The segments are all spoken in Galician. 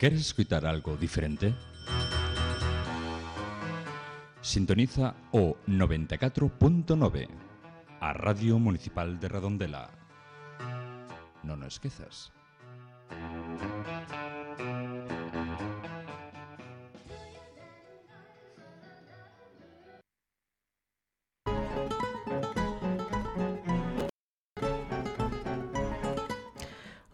Queres escoitar algo diferente? Sintoniza o 94.9, a Radio Municipal de Redondela. Non o esquezas.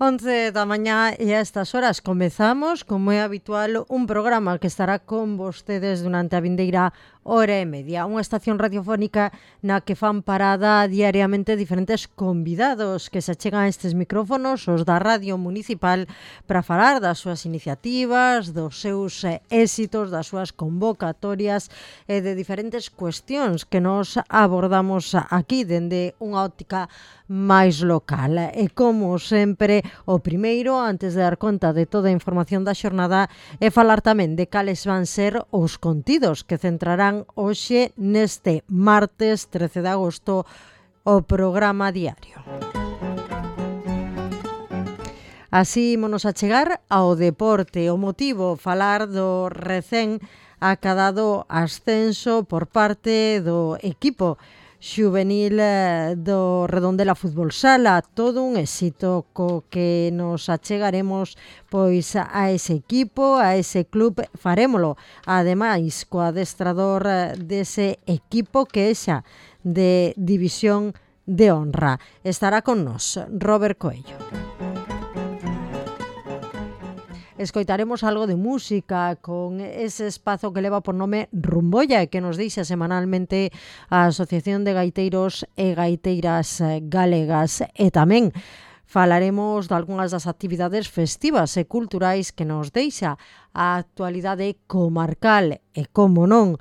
Once da mañá e a estas horas comezamos, como é habitual, un programa que estará con vostedes durante a vindeira hora e media. Unha estación radiofónica na que fan parada diariamente diferentes convidados que se achegan a estes micrófonos, os da Radio Municipal, para falar das súas iniciativas, dos seus éxitos, das súas convocatorias e de diferentes cuestións que nos abordamos aquí dende unha óptica máis local. E como sempre, o primeiro, antes de dar conta de toda a información da xornada, é falar tamén de cales van ser os contidos que centrarán hoxe neste martes 13 de agosto o programa diario. Así ímonos a chegar ao deporte. O motivo, falar do recén acadado ascenso por parte do equipo xuvenil do Redondela Fútbol Sala. Todo un éxito co que nos achegaremos pois a ese equipo, a ese club. Farémolo ademais co adestrador dese equipo que é xa de División de Honra. Estará con nós Robert Coello. Escoitaremos algo de música con ese espazo que leva por nome Rumbolla e que nos deixa semanalmente a Asociación de Gaiteiros e Gaiteiras Galegas. E tamén falaremos de algunhas das actividades festivas e culturais que nos deixa a actualidade comarcal e, como non,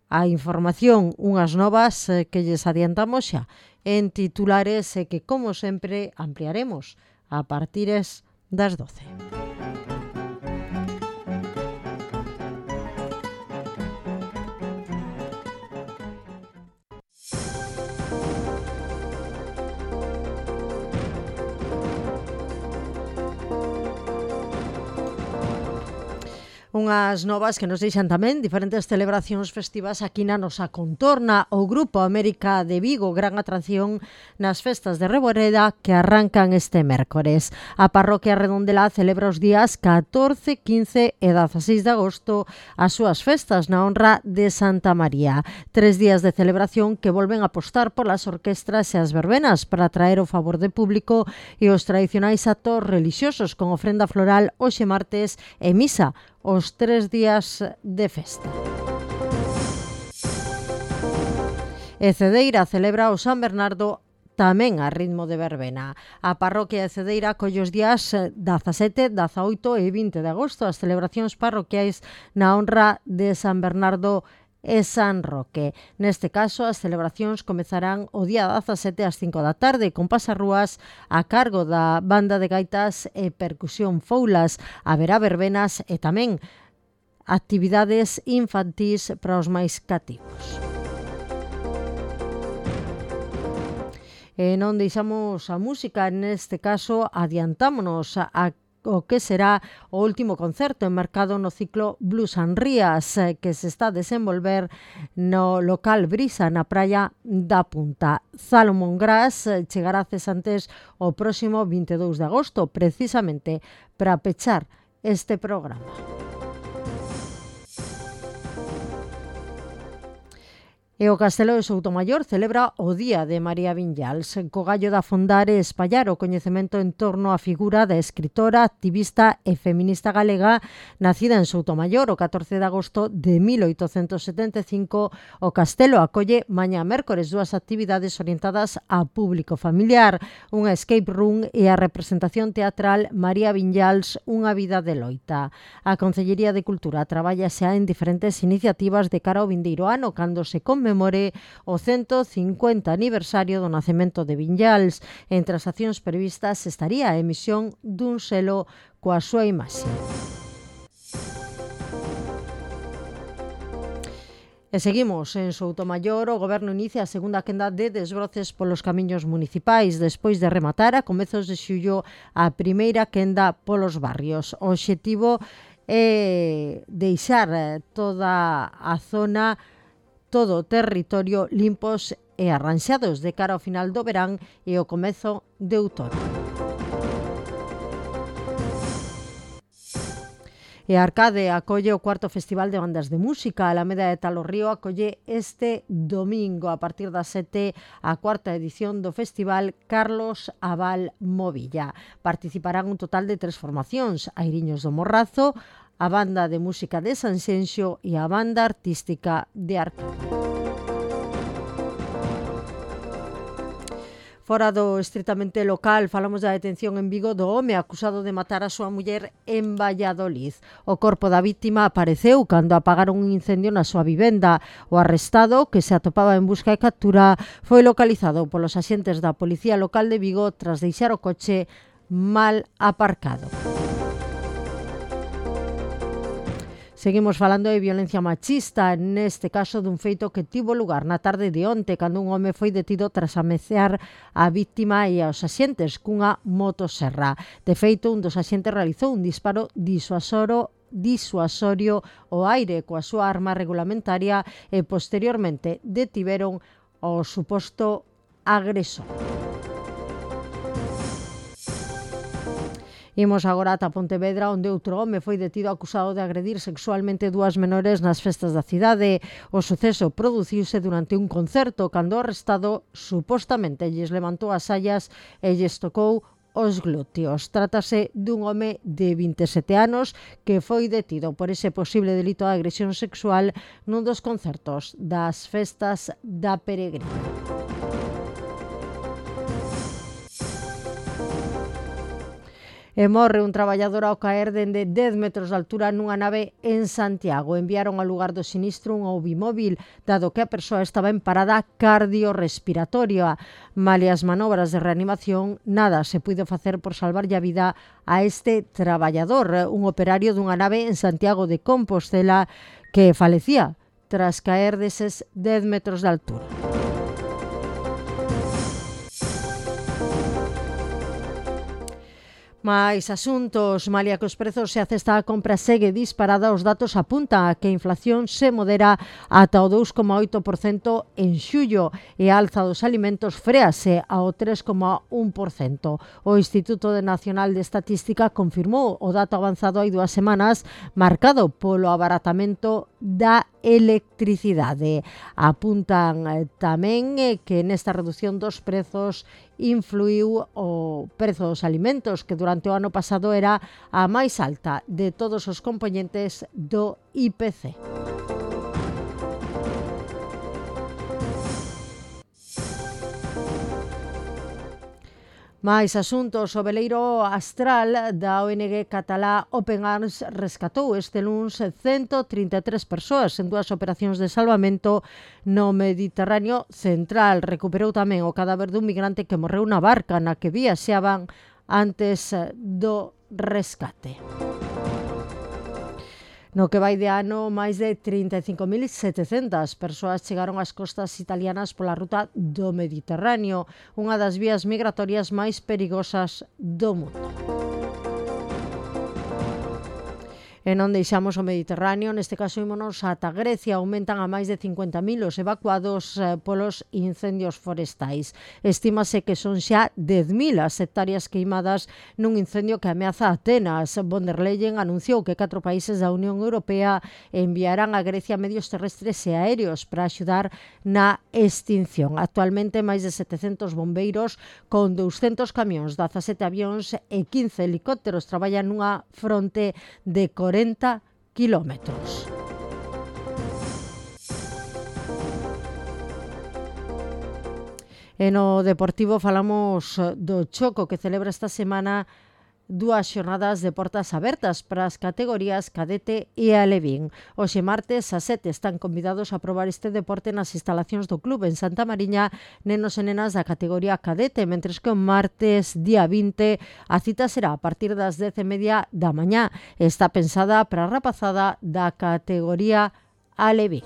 a información, unhas novas que lles adiantamos xa en titulares e que, como sempre, ampliaremos a partires das 12. Unhas novas que nos deixan tamén diferentes celebracións festivas aquí na nosa contorna. O Grupo América de Vigo, gran atracción nas festas de Reboreda que arrancan este mércores. A parroquia Redondela celebra os días 14, 15 e 16 de agosto as súas festas na honra de Santa María. 3 días de celebración que volven a apostar polas orquestras e as verbenas para atraer o favor de público e os tradicionais actos relixiosos con ofrenda floral hoxe martes e misa os 3 días de festa. E Cedeira celebra o San Bernardo tamén a ritmo de verbena. A parroquia de Cedeira colle os días 17, 18 e 20 de agosto as celebracións parroquiais na honra de San Bernardo e San Roque. Neste caso, as celebracións comezarán o día 17 ás 5 da tarde con pasarrúas a cargo da banda de gaitas e percusión Foulas. Haberá verbenas e tamén actividades infantís para os máis cativos. E non deixamos a música, neste caso adiantámonos a o que será o último concerto enmarcado no ciclo Blues and Rías que se está a desenvolver no local Brisa na praia da Punta. Salomón Gras chegará a Cesantes o próximo 22 de agosto, precisamente para pechar este programa. E o Castelo de Soutomaior celebra o Día de María Viñals, co gallo de afondar e espallar o coñecemento en torno á figura da escritora, activista e feminista galega nacida en Soutomaior o 14 de agosto de 1875. O Castelo acolle mañá mércores 2 actividades orientadas a público familiar, unha escape room e a representación teatral María Viñals, unha vida de loita. A Concellería de Cultura traballa xa en diferentes iniciativas de cara ao vindeiro ano, cando se conmemore o 150 aniversario do nacemento de Viñals. Entre as accións previstas estaría a emisión dun selo coa súa imaxe. E seguimos en Soutomaior, o Goberno inicia a segunda quenda de desbroces polos camiños municipais despois de rematar a comezos de xullo a primeira quenda polos barrios. O obxectivo é deixar toda a zona, todo o territorio limpos e arranxados de cara ao final do verán e o comezo de outono. E Arcade acolle o cuarto Festival de Bandas de Música. A Alameda de Talorrío acolle este domingo a partir das 7 a cuarta edición do Festival Carlos Abal Movilla. Participarán un total de 3 formacións: Airiños do Morrazo, a Banda de Música de Sanxenxo e a Banda Artística de Arcade. Fora do estritamente local, falamos da detención en Vigo do home acusado de matar a súa muller en Valladolid. O corpo da vítima apareceu cando apagaron un incendio na súa vivenda. O arrestado, que se atopaba en busca e captura, foi localizado polos axentes da Policía Local de Vigo tras deixar o coche mal aparcado. Seguimos falando de violencia machista, neste caso dun feito que tivo lugar na tarde de onte, cando un home foi detido tras ameaçar a vítima e aos axentes cunha motoserra. De feito, un dos axentes realizou un disparo disuasorio ao aire coa súa arma regulamentaria e posteriormente detiveron ao suposto agresor. Imos agora ata Pontevedra, onde outro home foi detido acusado de agredir sexualmente 2 menores nas festas da cidade. O suceso produciuse durante un concerto, cando o arrestado supostamente lles levantou as saias e lles tocou os glúteos. Trátase dun home de 27 anos que foi detido por ese posible delito de agresión sexual nun dos concertos das festas da Peregrina. E morre un traballador ao caer dende 10 metros de altura nunha nave en Santiago. Enviaron ao lugar do sinistro un bimóvil, dado que a persoa estaba en parada cardiorrespiratoria. Malia as manobras de reanimación, nada se puido facer por salvarlle a vida a este traballador, un operario dunha nave en Santiago de Compostela que falecía tras caer deses 10 metros de altura. Mais asuntos, malia que os prezos e a cesta da compra segue disparada, os datos apuntan a que a inflación se modera ata o 2,8% en xullo e a alza dos alimentos fréase ao 3,1%. O Instituto Nacional de Estatística confirmou o dato avanzado hai 2 semanas, marcado polo abaratamento da electricidade. Apuntan tamén que nesta reducción dos prezos influiu o prezo dos alimentos, que durante o ano pasado era a máis alta de todos os compoñentes do IPC. Mais asuntos, o veleiro Astral da ONG catalá Open Arms rescatou este luns 133 persoas en 2 operacións de salvamento no Mediterráneo central. Recuperou tamén o cadáver dun migrante que morreu na barca na que viaxaban antes do rescate. No que vai de ano, máis de 35.700 persoas chegaron ás costas italianas pola ruta do Mediterráneo, unha das vías migratorias máis perigosas do mundo. E non deixamos o Mediterráneo, neste caso ímonos ata Grecia. Aumentan a máis de 50.000 os evacuados polos incendios forestais. Estímase que son xa 10.000 as hectáreas queimadas nun incendio que ameaza Atenas. Von der Leyen anunciou que 4 países da Unión Europea enviarán a Grecia medios terrestres e aéreos para axudar na extinción. Actualmente, máis de 700 bombeiros con 200 camións, 17 avións e 15 helicópteros traballan nunha fronte de 40 kilómetros. E no Deportivo falamos do Choco, que celebra esta semana 2 xornadas de portas abertas para as categorías cadete e alevín. Hoxe martes a 7 están convidados a probar este deporte nas instalacións do club en Santa Mariña nenos e nenas da categoría cadete, mentres que o martes día 20 a cita será a partir das 10:30 da mañá. Está pensada para a rapazada da categoría alevín.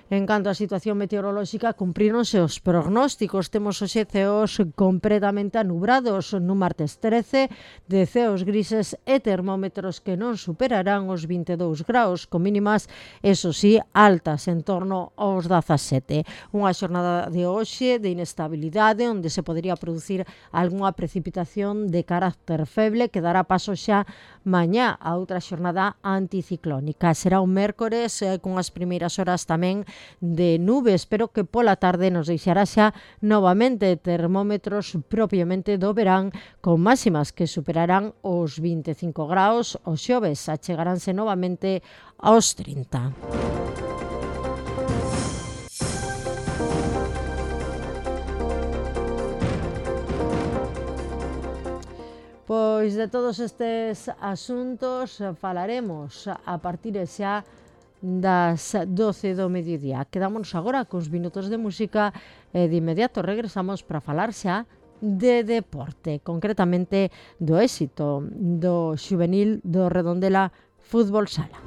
En canto á situación meteorolóxica, cumpríronse os prognósticos. Temos hoxe ceos completamente anubrados no martes 13, de ceos grises e termómetros que non superarán os 22 graus, con mínimas, eso sí, altas, en torno aos 17. Unha xornada de hoxe de inestabilidade, onde se podería producir algunha precipitación de carácter feble, que dará paso xa mañá a outra xornada anticiclónica. Será un mércores con as primeiras horas tamén de nubes, pero que pola tarde nos deixará xa novamente termómetros propiamente do verán, con máximas que superarán os 25 graus. Os xoves achegaránse novamente aos 30. Pois de todos estes asuntos falaremos a partir xa das 12 do mediodía. Quedámonos agora cos minutos de música e de inmediato regresamos para falar xa de deporte, concretamente do éxito do xuvenil do Redondela Fútbol Sala.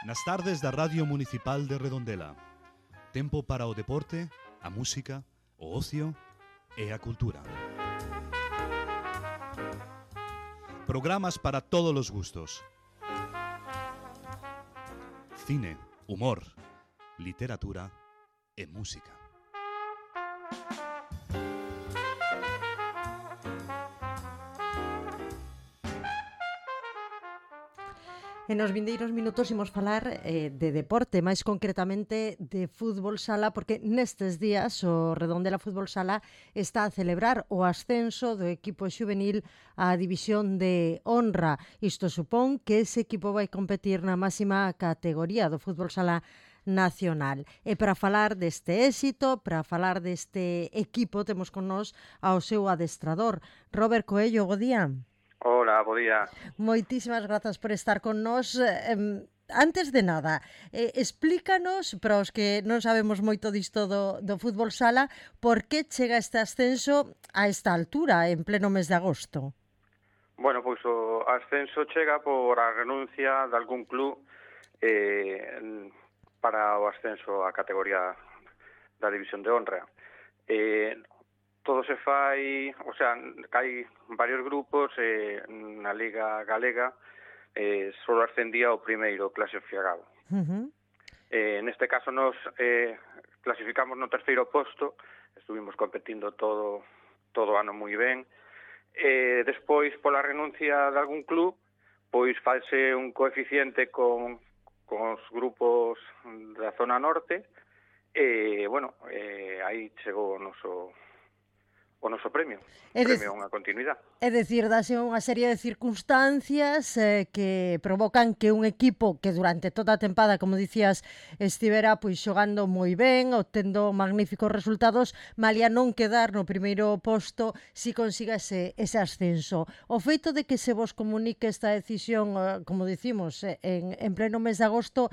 Nas tardes da Radio Municipal de Redondela. Tempo para o deporte, a música, o ocio e a cultura. Programas para todos os gustos. Cine, humor, literatura e música. E nos vindeiros minutos imos falar de deporte, máis concretamente de fútbol sala, porque nestes días o Redondela Fútbol Sala está a celebrar o ascenso do equipo xuvenil á división de honra. Isto supón que ese equipo vai competir na máxima categoría do fútbol sala nacional. E para falar deste éxito, para falar deste equipo, temos con nós ao seu adestrador, Robert Coello. Bo día. Hola, bo día. Moitísimas grazas por estar con nós. Antes de nada, explícanos, para os que non sabemos moito disto do fútbol sala, por que chega este ascenso a esta altura, en pleno mes de agosto? Bueno, pois o ascenso chega por a renuncia de algún club para o ascenso á categoría da división de honra. Todo se fai, o sea, hai varios grupos na Liga Galega, só ascendía o primeiro clasificado. Neste caso nos clasificamos no terceiro posto, estuvimos competindo todo o ano moi ben. Despois, pola renuncia de algún club, pois faise un coeficiente con os grupos da zona norte, bueno, aí chegou o noso premio, unha continuidade. É dicir, dase unha serie de circunstancias que provocan que un equipo que durante toda a tempada, como dicías, estivera pois xogando moi ben, obtendo magníficos resultados, malia non quedar no primeiro posto si consiga ese ascenso. O feito de que se vos comunique esta decisión, como dicimos, en pleno mes de agosto,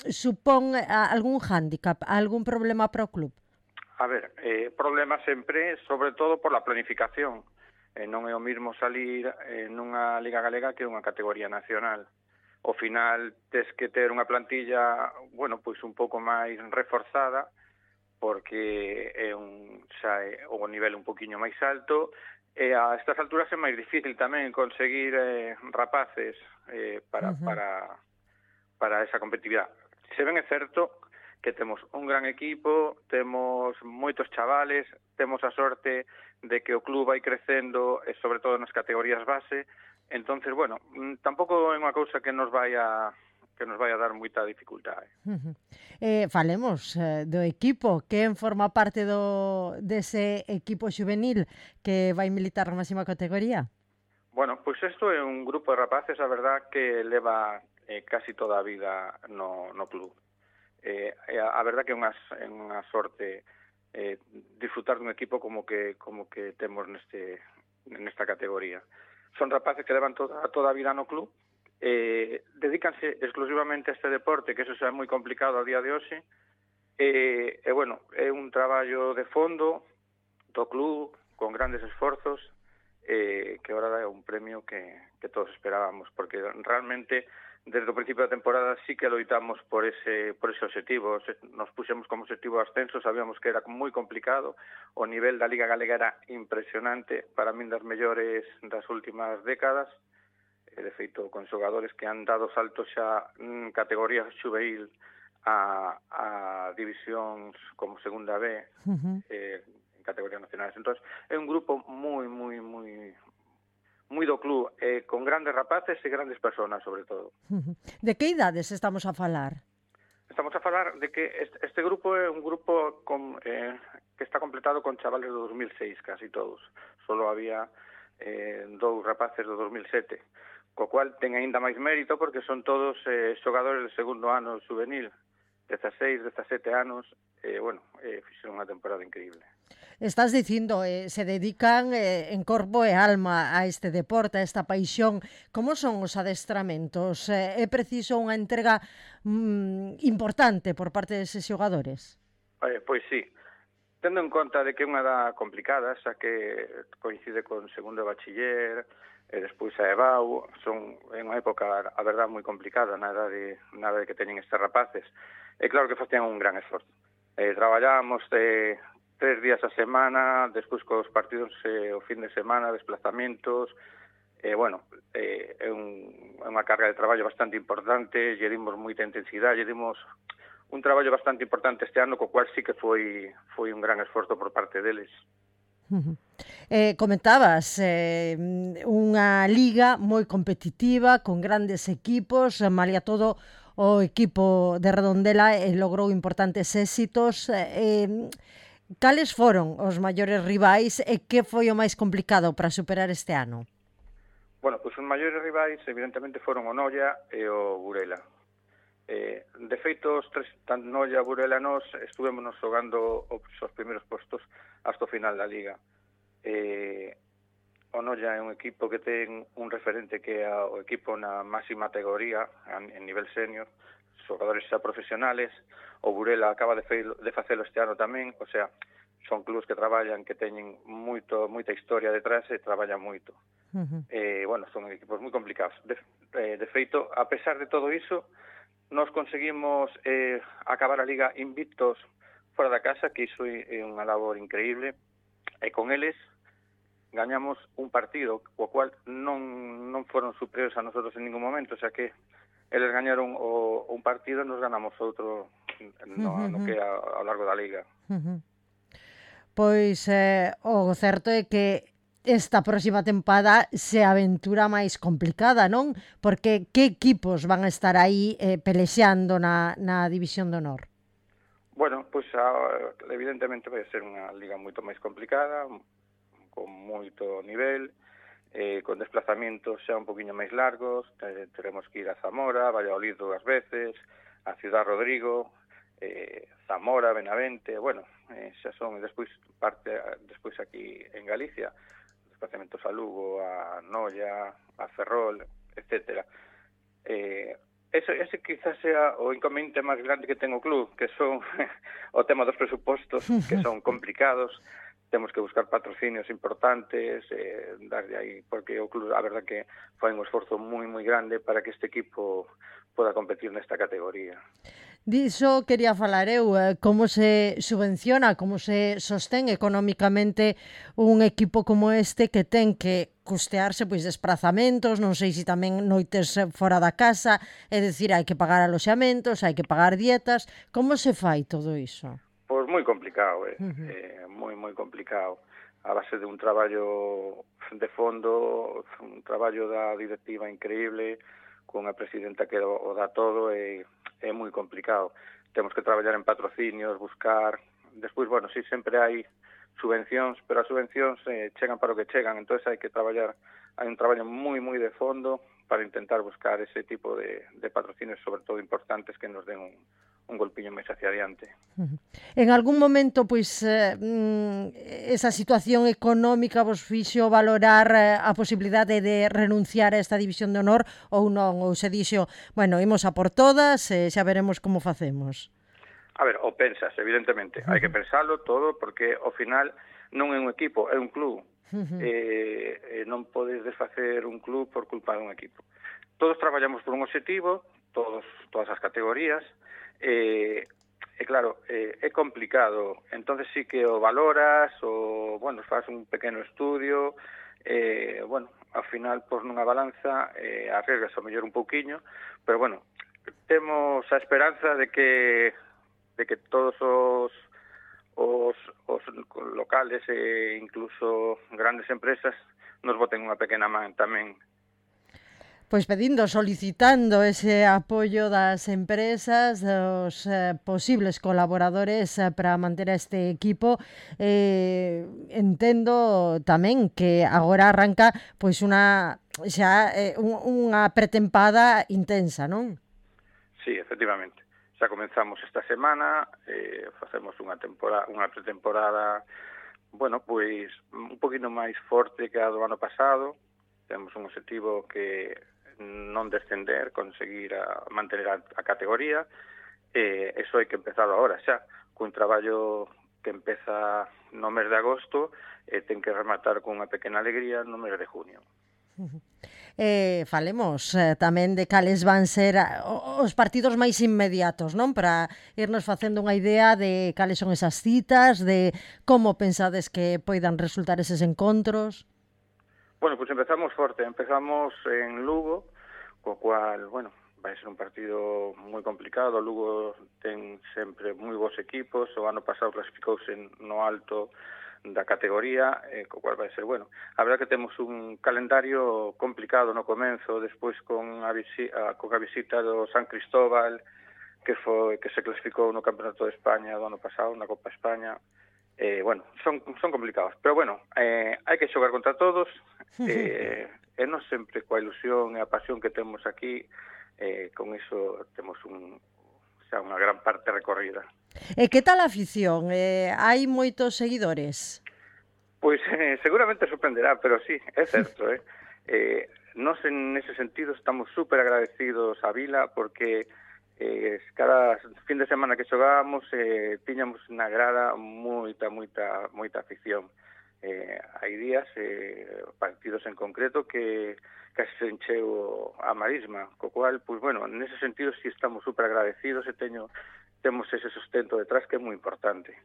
supón algún hándicap, algún problema para o club? A ver, problema sempre, sobre todo por la planificación. Non é o mismo salir nunha Liga Galega que unha categoría nacional. Ao final, tes que ter unha plantilla, bueno, pois un pouco máis reforzada, porque é o nivel un poquinho máis alto, e a estas alturas é máis difícil tamén conseguir rapaces para esa competitividade. Se ben é certo que temos un gran equipo, temos moitos chavales, temos a sorte de que o club vai crecendo, e sobre todo nas categorías base. Entonces, bueno, tampouco é unha cousa que nos vai a dar moita dificultade. Falemos do equipo. Quen forma parte dese equipo xuvenil que vai militar na máxima categoría? Bueno, pois isto é un grupo de rapaces, a verdad, que leva casi toda a vida no club. A verdad que é unha sorte disfrutar dun equipo como que temos nesta categoría. Son rapaces que levan toda a vida no club, dedícanse exclusivamente a este deporte, que eso é moi complicado a día de hoxe, e bueno, é un traballo de fondo do club, con grandes esforzos, que agora é un premio que todos esperábamos, porque realmente desde o principio da temporada sí que loitamos por ese objetivo. Nos puxemos como objetivo ascenso, sabíamos que era moi complicado, o nivel da Liga Galega era impresionante, para min das mellores das últimas décadas, de feito con xogadores que han dado saltos xa en categoría xuvenil a divisións como segunda B, en categorías nacionales. Entón, é un grupo moi do club, con grandes rapaces e grandes personas, sobre todo. De que idades estamos a falar? Estamos a falar de que este grupo é un grupo que está completado con chavales do 2006, casi todos. Solo había 2 rapaces do 2007, co cual ten aínda máis mérito porque son todos xogadores de segundo ano juvenil, 16, 17 anos, fixeron unha temporada increíble. Estás dicindo, se dedican en corpo e alma a este deporte, a esta paixón. Como son os adestramentos? É preciso unha entrega importante por parte deses xogadores? Pois sí. Tendo en conta de que é unha edad complicada, xa que coincide con segundo de bachiller, e despois a EBAU, é unha época, a verdad, moi complicada na idade que teñen estes rapaces. E claro que facían un gran esforzo. Traballábamos 3 días a semana, despois cos partidos o fin de semana, desplazamentos, é unha carga de traballo bastante importante, lle dimos moita intensidade, lle dimos un traballo bastante importante este ano, co cual sí que foi un gran esforzo por parte deles. Comentabas unha liga moi competitiva, con grandes equipos, malia todo o equipo de Redondela logrou importantes éxitos. Cales foron os maiores rivais e que foi o máis complicado para superar este ano? Bueno, pois os maiores rivais evidentemente foron o Noia e o Burela. De feito, os tres, tanto Noia, Burela e nós, estuvémonos xogando os primeiros postos hasta o final da liga. O Noia é un equipo que ten un referente que é o equipo na máxima categoría, en nivel senior, xogadores xa profesionales. O Burela acaba de facelo este ano tamén, o sea, son clubes que traballan, que teñen moita historia detrás e traballan moito. Son equipos moi complicados. De feito, a pesar de todo iso, nos conseguimos acabar a liga invictos fora da casa, que iso é unha labor increíble, e con eles gañamos un partido, o cual non foron superiores a nosotros en ningún momento, o sea que eles gañaron un partido e nos ganamos outro no que ao largo da liga. Pois o certo é que esta próxima tempada se aventura máis complicada, non? Porque que equipos van a estar aí pelexeando na División de Honor? Bueno, pois evidentemente vai ser unha liga moito máis complicada, con moito nivel, con desplazamentos xa un poquinho máis largos. Teremos que ir a Zamora, Valladolid 2 veces, a Ciudad Rodrigo, Zamora, Benavente, xa son despois aquí en Galicia, desplazamentos a Lugo, a Noia, a Ferrol, etcétera. Ese quizás sea o inconveniente máis grande que ten o club, que son o tema dos presupostos, que son complicados. Temos que buscar patrocinios importantes, darlle aí, porque o club, a verdad que fai un esforzo moi grande para que este equipo poda competir nesta categoría. Diso quería falar eu, como se subvenciona, como se sostén económicamente un equipo como este que ten que custearse pois desprazamentos, non sei se tamén noites fora da casa, é dicir, hai que pagar aloxamentos, hai que pagar dietas, como se fai todo iso? Pois moi complicado, moi complicado. A base de un traballo de fondo, un traballo da directiva increíble, cunha presidenta que o dá todo, é moi complicado. Temos que traballar en patrocinios, buscar. Despois, sí, sempre hai subvencións, pero as subvencións chegan para o que chegan, entón hai que traballar, hai un traballo moi de fondo para intentar buscar ese tipo de patrocinios, sobre todo importantes, que nos den un golpiño máis hacia adiante. En algún momento, pois, esa situación económica vos fixo valorar a posibilidade de renunciar a esta división de honor ou non? Ou se dixo, imos a por todas e xa veremos como facemos? A ver, o pensas, evidentemente. Hai que pensalo todo, porque ao final non é un equipo, é un club. Non podes desfacer un club por culpa dun equipo. Todos traballamos por un objetivo, todas as categorías, claro, é complicado. Entonces sí que o valoras, faz un pequeno estudio, ao final, por nunha balanza, arriesgas ao mellor un pouquiño, pero temos a esperanza de que todos os locales e incluso grandes empresas nos boten unha pequena man tamén. Pois solicitando ese apoio das empresas, dos posibles colaboradores para manter a este equipo. Entendo tamén que agora arranca pois unha pretempada intensa, non? Sí, efectivamente. Xa comenzamos esta semana, facemos unha pretemporada, pois un poquinho máis forte que a do ano pasado. Temos un objetivo que non descender, conseguir mantener a categoría, eso hai que empezar agora xa, cun traballo que empeza no mes de agosto e ten que rematar con unha pequena alegría no mes de junio. Falemos tamén de cales van ser os partidos máis inmediatos, non? Para irnos facendo unha idea de cales son esas citas, de como pensades que poidan resultar eses encontros. Bueno, pues empezamos forte, empezamos en Lugo, co cual, bueno, vai ser un partido moi complicado. Lugo ten sempre moi bons equipos, o ano pasado clasificouse no alto da categoría, co cual vai ser bueno. A verdad que temos un calendario complicado no comenzo, despois con a visita do San Cristóbal, que se clasificou no Campeonato de España do ano pasado, na Copa España. Bueno, son complicados, pero bueno, hai que xogar contra todos, e non sempre coa ilusión e a pasión que temos aquí, con iso temos unha gran parte recorrida. E que tal a afición? Hai moitos seguidores? Pois seguramente sorprenderá, pero sí, é certo. Nós en ese sentido estamos super agradecidos a Vila porque cada fin de semana que xogábamos tiñamos na grada moita afición. Hai días, partidos en concreto que casi se encheu a marisma, co cual, pues bueno, nese sentido sí estamos super agradecidos e temos ese sustento detrás que é moi importante.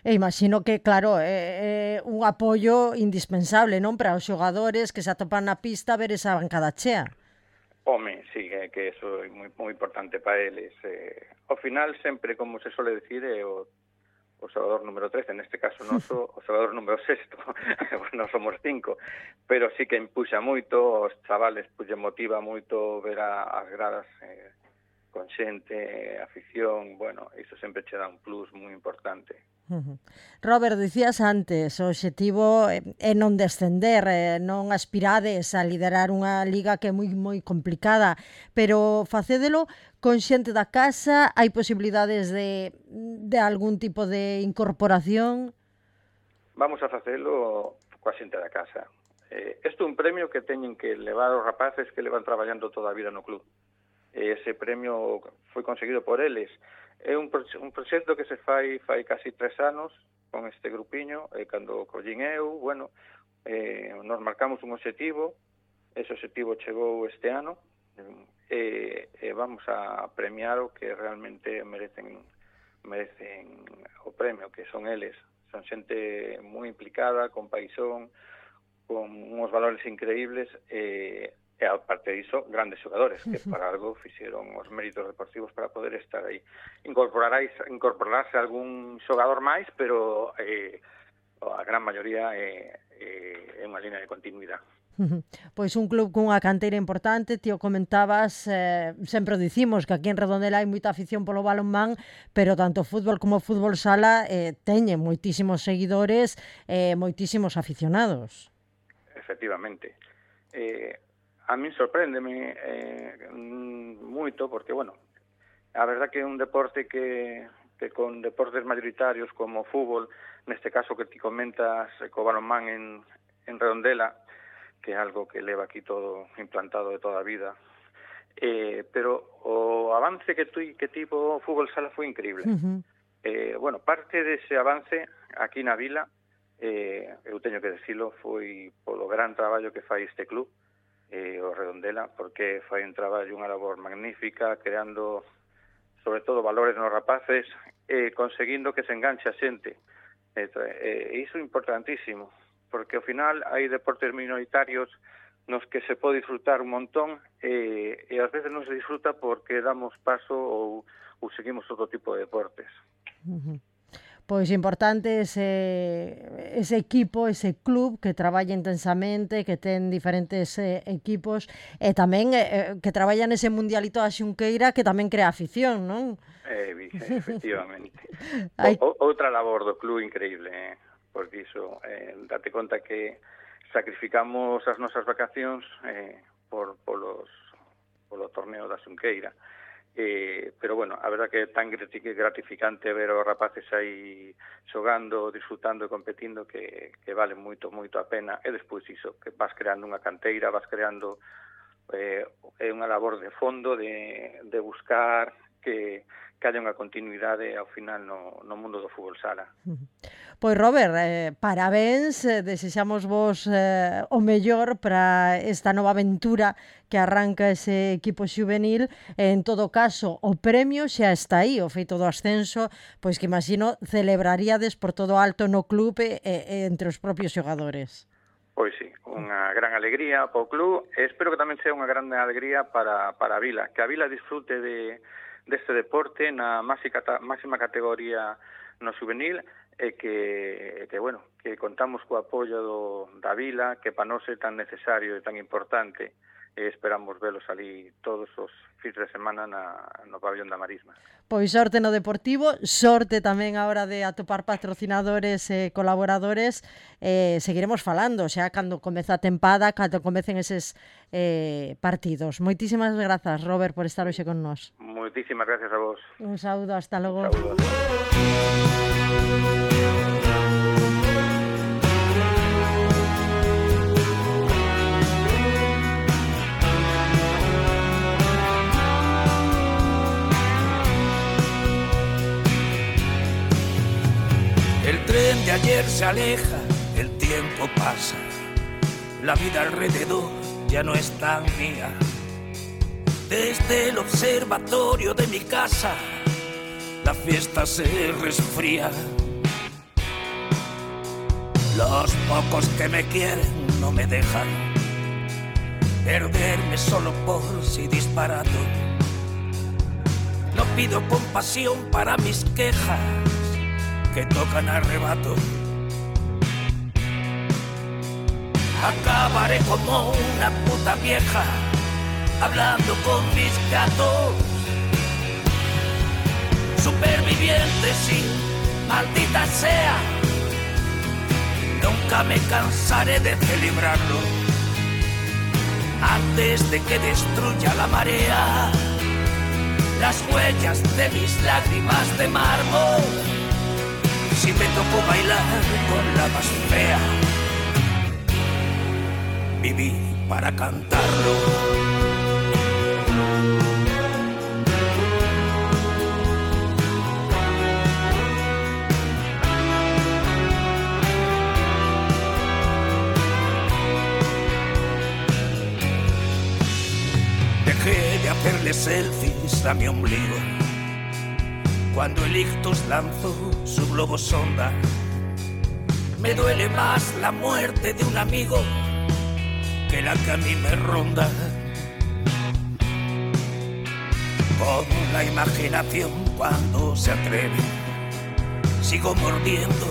E imagino que, claro, é un apoio indispensable, non? Para os xogadores que se atopan na pista ver esa bancada chea. Home, sí, que eso é moi importante para eles. Ao final, sempre, como se suele decir, é o xogador número 13, neste caso noso, o xogador número 6, non somos 5, pero sí que empuxa moito, os chavales pues, motiva moito ver as gradas con xente, afición, bueno, iso sempre che dá un plus moi importante. Robert, dicías antes, o obxectivo é non descender, non aspirades a liderar unha liga que é moi complicada, pero facédelo con xente da casa, hai posibilidades de algún tipo de incorporación? Vamos a facelo coa xente da casa. Isto é un premio que teñen que levar os rapaces que levan traballando toda a vida no club. Ese premio foi conseguido por eles. É un proxecto que se fai casi 3 anos con este grupiño, cando collín eu, bueno, nos marcamos un obxectivo, ese obxectivo chegou este ano, e vamos a premiar o que realmente merecen o premio, que son eles. Son xente moi implicada, con paixón, con uns valores increíbles, e aparte diso, grandes xogadores que para algo fixeron os méritos deportivos para poder estar aí. Incorporarse algún xogador máis, pero a gran maioría é unha línea de continuidade. Pois un club cunha canteira importante, ti o comentabas, sempre o dicimos que aquí en Redondela hai moita afición polo balonmán, pero tanto fútbol como fútbol sala teñen moitísimos seguidores e moitísimos aficionados. Efectivamente. A min sorpréndeme moito porque, bueno, a verdad que é un deporte que con deportes mayoritarios como o fútbol, neste caso que ti comentas co balonmán en Redondela, que é algo que leva aquí todo implantado de toda a vida, pero o avance que tivo o fútbol sala foi increíble. Bueno, parte dese avance aquí na vila, eu teño que decirlo, foi polo gran traballo que fai este club, o Redondela, porque fai un traballo, unha labor magnífica, creando sobre todo valores nos rapaces, conseguindo que se enganche a xente. Iso é importantísimo, porque ao final hai deportes minoritarios nos que se pode disfrutar un montón e ás veces non se disfruta porque damos paso ou seguimos outro tipo de deportes. Pois importante ese equipo, ese club que traballa intensamente, que ten diferentes equipos e tamén que traballa nese mundialito da Xunqueira que tamén crea afición, non? Efectivamente. Outra labor do club increíble, porque iso, date conta que sacrificamos as nosas vacacións polo torneo da Xunqueira. Pero bueno, a verdad que é tan gratificante ver os rapaces aí xogando, disfrutando e competindo que vale moito a pena. E despois iso, que vas creando unha canteira, vas creando unha labor de fondo de buscar que haya unha continuidade ao final no mundo do fútbol sala. Pois Robert, parabéns, desexamos vos o mellor para esta nova aventura que arranca ese equipo xuvenil. En todo caso, o premio xa está aí, o feito do ascenso, pois que imagino celebraríades por todo alto no club e entre os propios xogadores. Pois sí, unha gran alegría para o club e espero que tamén sea unha gran alegría para a Vila, que a Vila disfrute deste deporte na máxima categoría no juvenil e que contamos co apoio da Vila, que para nós é tan necesario e tan importante, e esperamos velos ali todos os fins de semana no pabellón da Marisma. Pois sorte no Deportivo, sorte tamén a hora de atopar patrocinadores e colaboradores. Seguiremos falando xa cando comeza a tempada, cando comecen eses partidos. Moitísimas grazas, Robert, por estar hoxe con nós. Moitísimas gracias a vos. Un saúdo, hasta logo. Un saúdo. El tren de ayer se aleja, el tiempo pasa, la vida alrededor ya no es tan mía. Desde el observatorio de mi casa, la fiesta se resfría. Los pocos que me quieren no me dejan perderme solo por si disparato. No pido compasión para mis quejas que tocan arrebato. Acabaré como una puta vieja hablando con mis gatos. Superviviente, sí, maldita sea. Nunca me cansaré de celebrarlo antes de que destruya la marea las huellas de mis lágrimas de mármol. Si me tocó bailar con la más fea, viví para cantarlo. Dejé de hacerle selfies a mi ombligo cuando el ictus lanzó su globo sonda. Me duele más la muerte de un amigo que la que a mí me ronda. Con la imaginación cuando se atreve, sigo mordiendo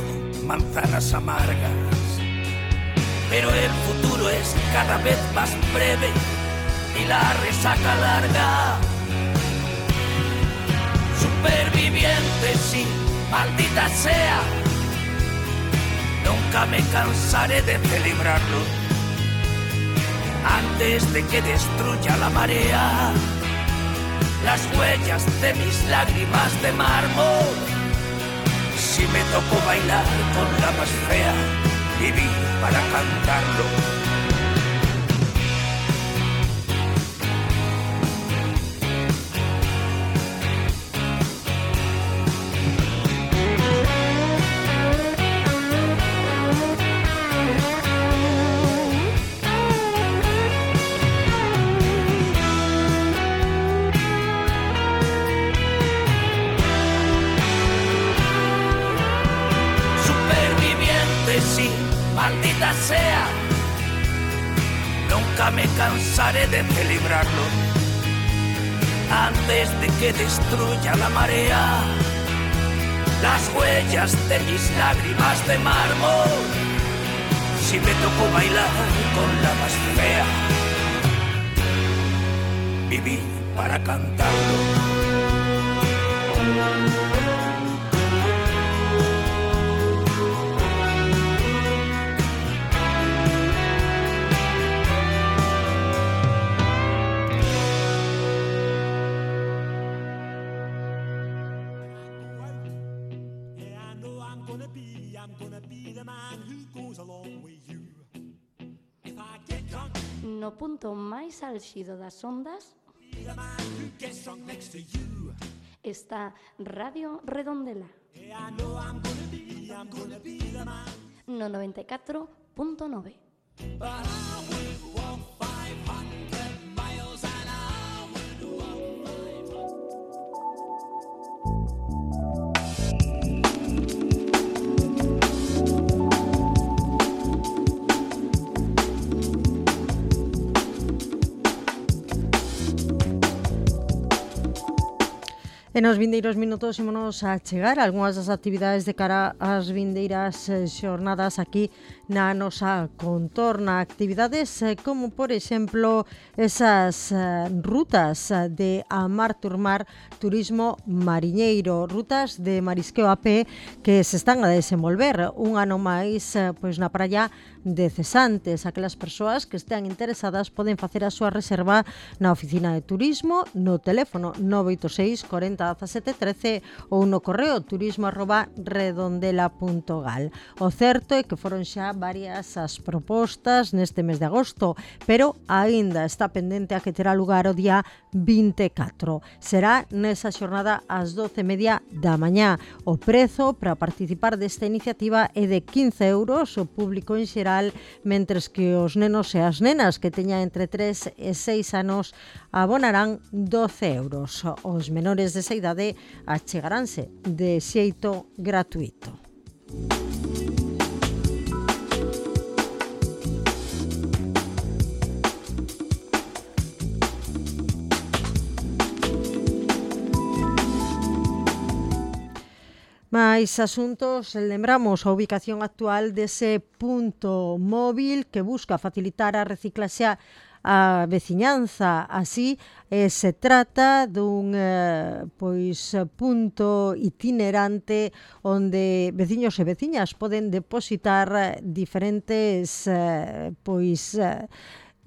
manzanas amargas. Pero el futuro es cada vez más breve y la resaca larga. Superviviente, sí, maldita sea. Nunca me cansaré de celebrarlo antes de que destruya la marea las huellas de mis lágrimas de mármol. Si me tocó bailar con la más fea, viví para cantarlo. Maldita sea, nunca me cansaré de celebrarlo antes de que destruya la marea las huellas de mis lágrimas de mármol. Si me tocó bailar con la más fea, viví para cantarlo. No punto máis álxido das ondas Está Radio Redondela. No 94.9. E nos vindeiros minutos ímonos a chegar a algunhas das actividades de cara ás vindeiras xornadas aquí na nosa contorna. Actividades como, por exemplo, esas rutas de Amar Turmar Turismo Mariñeiro, rutas de marisqueo a pé que se están a desenvolver un ano máis pois na praia de Cesantes. Aquelas persoas que estean interesadas poden facer a súa reserva na oficina de turismo no teléfono 986 40 17 13 ou no correo turismo@redondela.gal. O certo é que foron xa varias as propostas neste mes de agosto, pero aínda está pendente a que terá lugar o día 24. Será nesa xornada ás 12:30 da mañá. O prezo para participar desta iniciativa é de 15 euros, o público en xeral, mentres que os nenos e as nenas que teñan entre 3 e 6 anos abonarán 12 euros. Os menores desa idade achegaránse de xeito gratuito. Mais asuntos, lembramos a ubicación actual dese punto móvil que busca facilitar a reciclaxe a veciñanza. Así, se trata dun punto itinerante onde veciños e veciñas poden depositar diferentes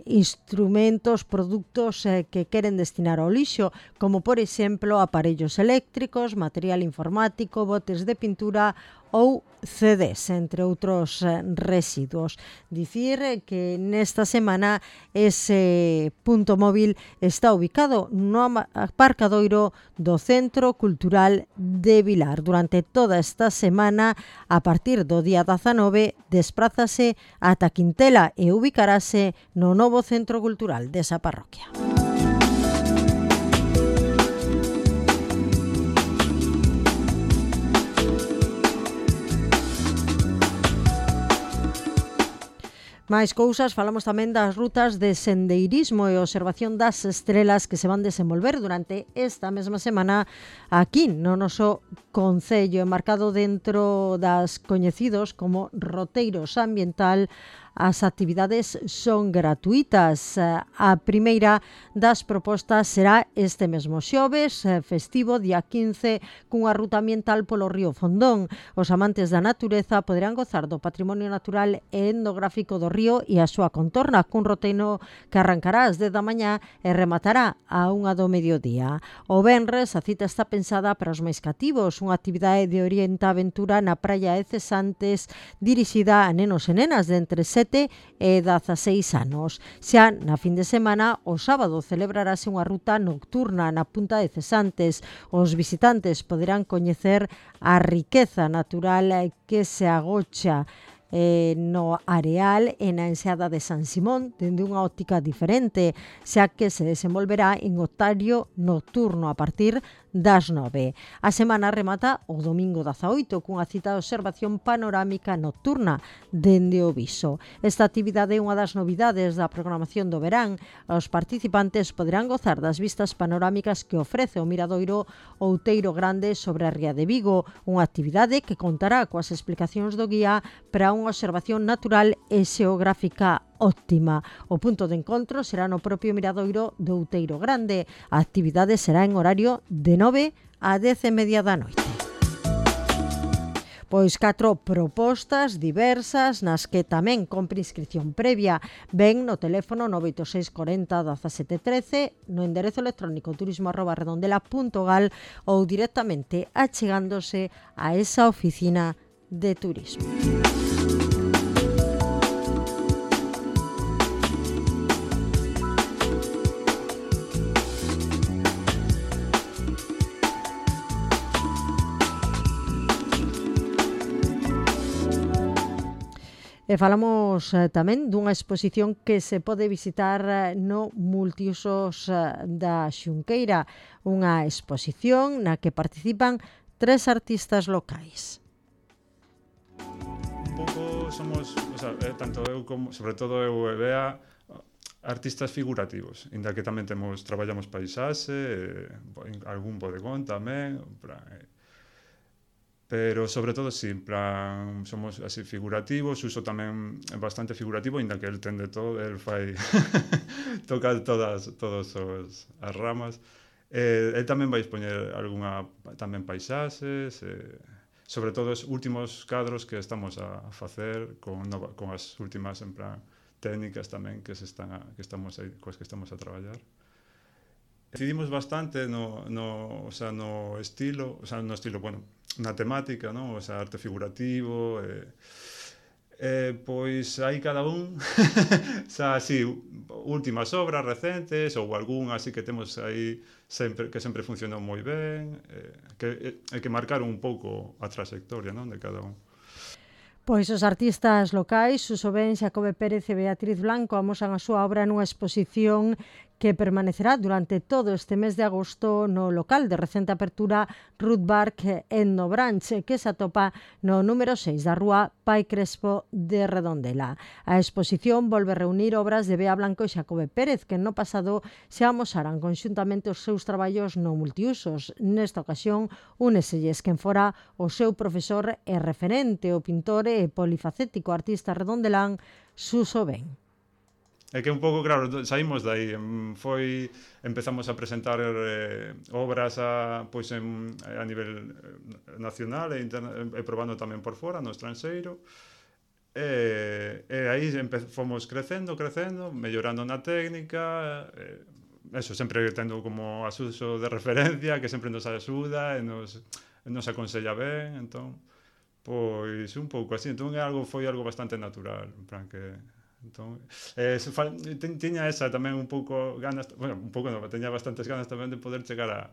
instrumentos, produtos que queren destinar ao lixo, como por exemplo aparellos eléctricos, material informático, botes de pintura ou CDs, entre outros residuos. Dicir que nesta semana ese punto móvil está ubicado no aparcadoiro do Centro Cultural de Vilar. Durante toda esta semana, a partir do día 19, desprázase ata Quintela e ubicarase no novo Centro Cultural desa parroquia. Mais cousas, falamos tamén das rutas de sendeirismo e observación das estrelas que se van desenvolver durante esta mesma semana aquí no noso concello, enmarcado dentro das coñecidos como roteiros ambiental. As actividades son gratuitas. A primeira das propostas será este mesmo xoves, festivo, día 15, cunha ruta ambiental polo río Fondón. Os amantes da natureza poderán gozar do patrimonio natural e etnográfico do río e a súa contorna, cun roteiro que arrancará ás 10 da mañá e rematará a 1 do mediodía. O venres, a cita está pensada para os máis cativos, unha actividade de orienta-aventura na praia de Cesantes dirixida a nenos e nenas de entre 7 e 16 anos. Xa na fin de semana, o sábado, celebrarase unha ruta nocturna na punta de Cesantes. Os visitantes poderán coñecer a riqueza natural que se agocha no areal e na enseada de San Simón dende unha óptica diferente, xa que se desenvolverá en horario nocturno a partir das 9. A semana remata o domingo 18 cunha cita de observación panorámica nocturna dende o Viso. Esta actividade é unha das novidades da programación do verán. Os participantes poderán gozar das vistas panorámicas que ofrece o miradoiro Outeiro Grande sobre a ría de Vigo, unha actividade que contará coas explicacións do guía para unha observación natural e xeográfica óptima. O punto de encontro será no propio miradoiro do Outeiro Grande. A actividade será en horario de 9 a 10:30 da noite. Pois 4 propostas diversas nas que tamén compre inscripción previa. Ven no teléfono 986 40 17 13, no enderezo electrónico turismo@redondela.gal ou directamente achegándose a esa oficina de turismo. E falamos tamén dunha exposición que se pode visitar no Multiusos da Xunqueira, unha exposición na que participan 3 artistas locais. Un pouco somos, o sea, tanto eu como, sobre todo eu e Bea, artistas figurativos, inda que tamén traballamos paisaxe, algún bodegón tamén, pero sobre todo sí, en plan, somos así figurativos, uso tamén bastante figurativo, inda que el ten de todo, el fai toca todas as ramas. El tamén vai expoñer algunha tamén paisaxes, sobre todo os últimos cadros que estamos a facer con as últimas en plan técnicas tamén que estamos a traballar. Decidimos bastante no estilo, bueno, na temática, ¿no? O sea, arte figurativo, pois aí cada un, o sea, así, últimas obras recentes ou algún así que temos aí que sempre funcionou moi ben, que marcaron un pouco a trayectoria, non, de cada un. Pois os artistas locais, Suso Ben, Xacobe Pérez e Beatriz Blanco amosan a súa obra nunha exposición que permanecerá durante todo este mes de agosto no local de recente apertura Ruth Bark en Nobranche, que se atopa no número 6 da rúa Pai Crespo de Redondela. A exposición volve reunir obras de Bea Blanco e Xacobe Pérez, que no pasado se amosaran conxuntamente os seus traballos no Multiusos. Nesta ocasión, úneselles quen fora o seu profesor e referente, o pintor e polifacético artista redondelán Suso Ben. É que un pouco, claro, saímos dai, empezamos a presentar obras a nivel nacional e probando tamén por fora, no estranxeiro, e aí fomos crecendo, mellorando na técnica, eso, sempre tendo como asuso de referencia, que sempre nos axuda e nos aconsella ben, entón, pois un pouco así, entón foi algo bastante natural, en plan que... Entón, tiña esa tamén un pouco ganas, bueno, un pouco non, teña bastantes ganas tamén de poder chegar a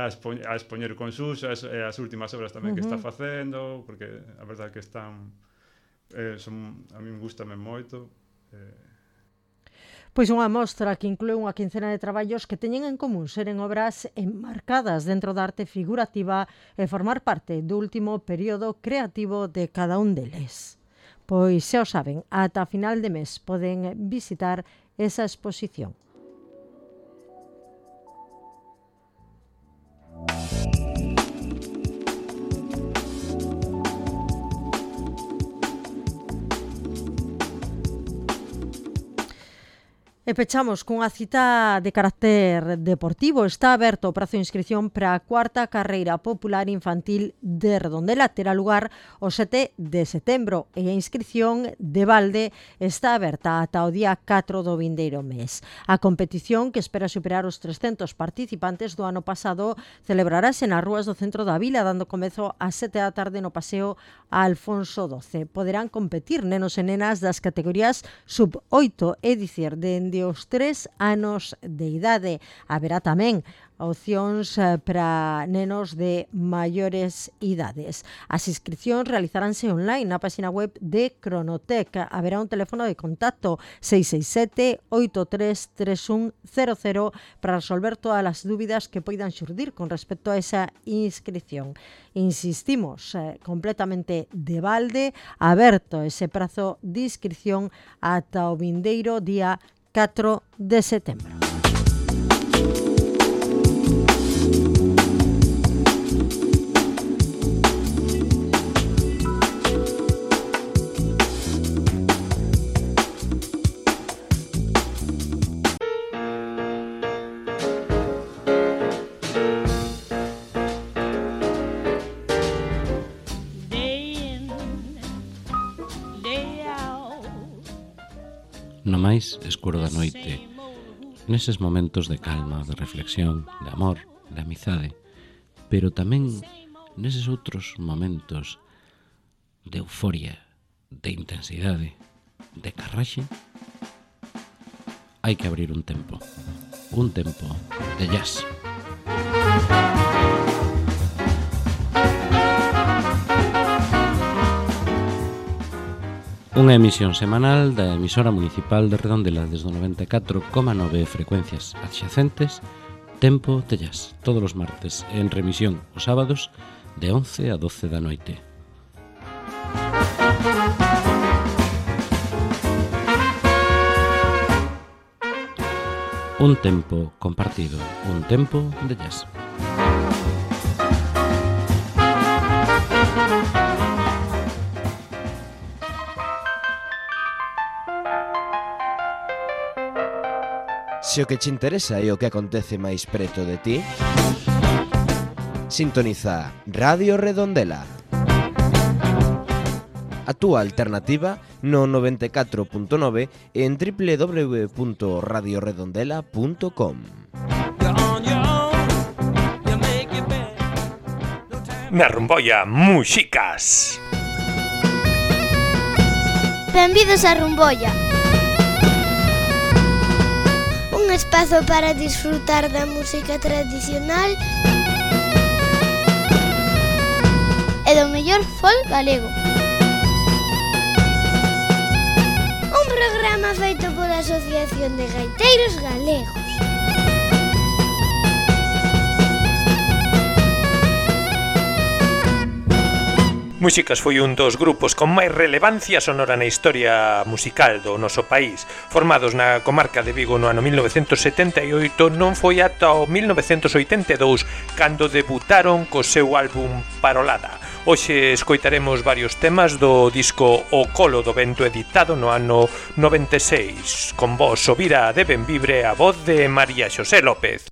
expoñer con Suso as últimas obras tamén que está facendo, porque a verdade que están a min gustame moito. Pois unha mostra que inclúe unha quincena de traballos que teñen en común seren obras enmarcadas dentro da arte figurativa e formar parte do último período creativo de cada un deles. Pois xa o saben, ata final de mes poden visitar esa exposición. E pechamos cunha cita de carácter deportivo. Está aberto o prazo de inscripción para a cuarta carreira popular infantil de Redondela. Terá lugar o 7 de setembro e a inscripción de balde está aberta ata o día 4 do vindeiro mes. A competición, que espera superar os 300 participantes do ano pasado, celebrarase nas rúas do centro da vila, dando comezo ás 7 da tarde no paseo Alfonso XII. Poderán competir nenos e nenas das categorías sub-8, é dicir, de os 3 anos de idade. Haberá tamén opcións para nenos de maiores idades. As inscripcións realizaránse online na página web de Cronotec. Haberá un teléfono de contacto 667-833100 para resolver todas as dúbidas que poidan xurdir con respecto a esa inscripción. Insistimos, completamente de balde, aberto ese prazo de inscripción ata o vindeiro día 4 de setembro. No máis escuro da noite, neses momentos de calma, de reflexión, de amor, de amizade, pero tamén neses outros momentos de euforia, de intensidade, de carraxe, hai que abrir un tempo de jazz. Unha emisión semanal da emisora municipal de Redondela desde o 94,9 frecuencias adxacentes, Tempo de Jazz, todos os martes, en remisión os sábados de 11 a 12 da noite. Un tempo compartido, un tempo de jazz. Se o que te interesa é o que acontece máis preto de ti, sintoniza Radio Redondela. A túa alternativa no 94.9 en www.radioredondela.com. Na Rumboia, Muxicas. Benvidos a Rumboia. Un espazo para disfrutar da música tradicional e do mellor folk galego. Un programa feito pola Asociación de Gaiteiros Galegos. Muxicas foi un dos grupos con máis relevancia sonora na historia musical do noso país. Formados na comarca de Vigo no ano 1978, non foi ata o 1982 cando debutaron co seu álbum Parolada. Hoxe escoitaremos varios temas do disco O Colo do Vento, editado no ano 96. Con voz Ovira de Benvibre, a voz de María Xosé López.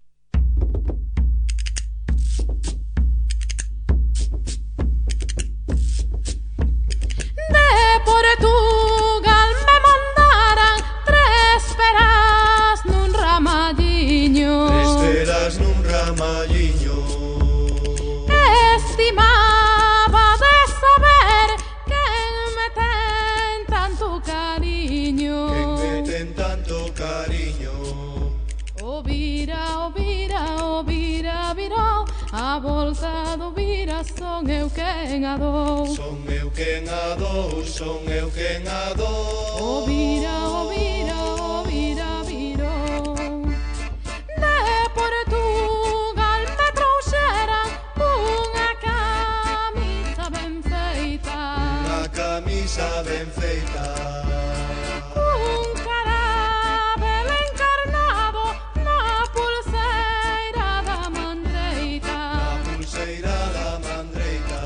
Portugal me mandaran tres peras nun ramalliño. Tres peras nun ramalliño. Estimaba de saber quen me ten tanto cariño. Quen me ten tanto cariño. O vira, o vira, o vira, virou. A volta do vira son eu quen a dou. Son eu quen a dou, son eu quen a dou. O vira, o vira, o vira, virou. De Portugal me trouxeran unha camisa ben feita. Unha camisa ben feita. Un carabel encarnado na pulseira da mandreita. Na pulseira da mandreita.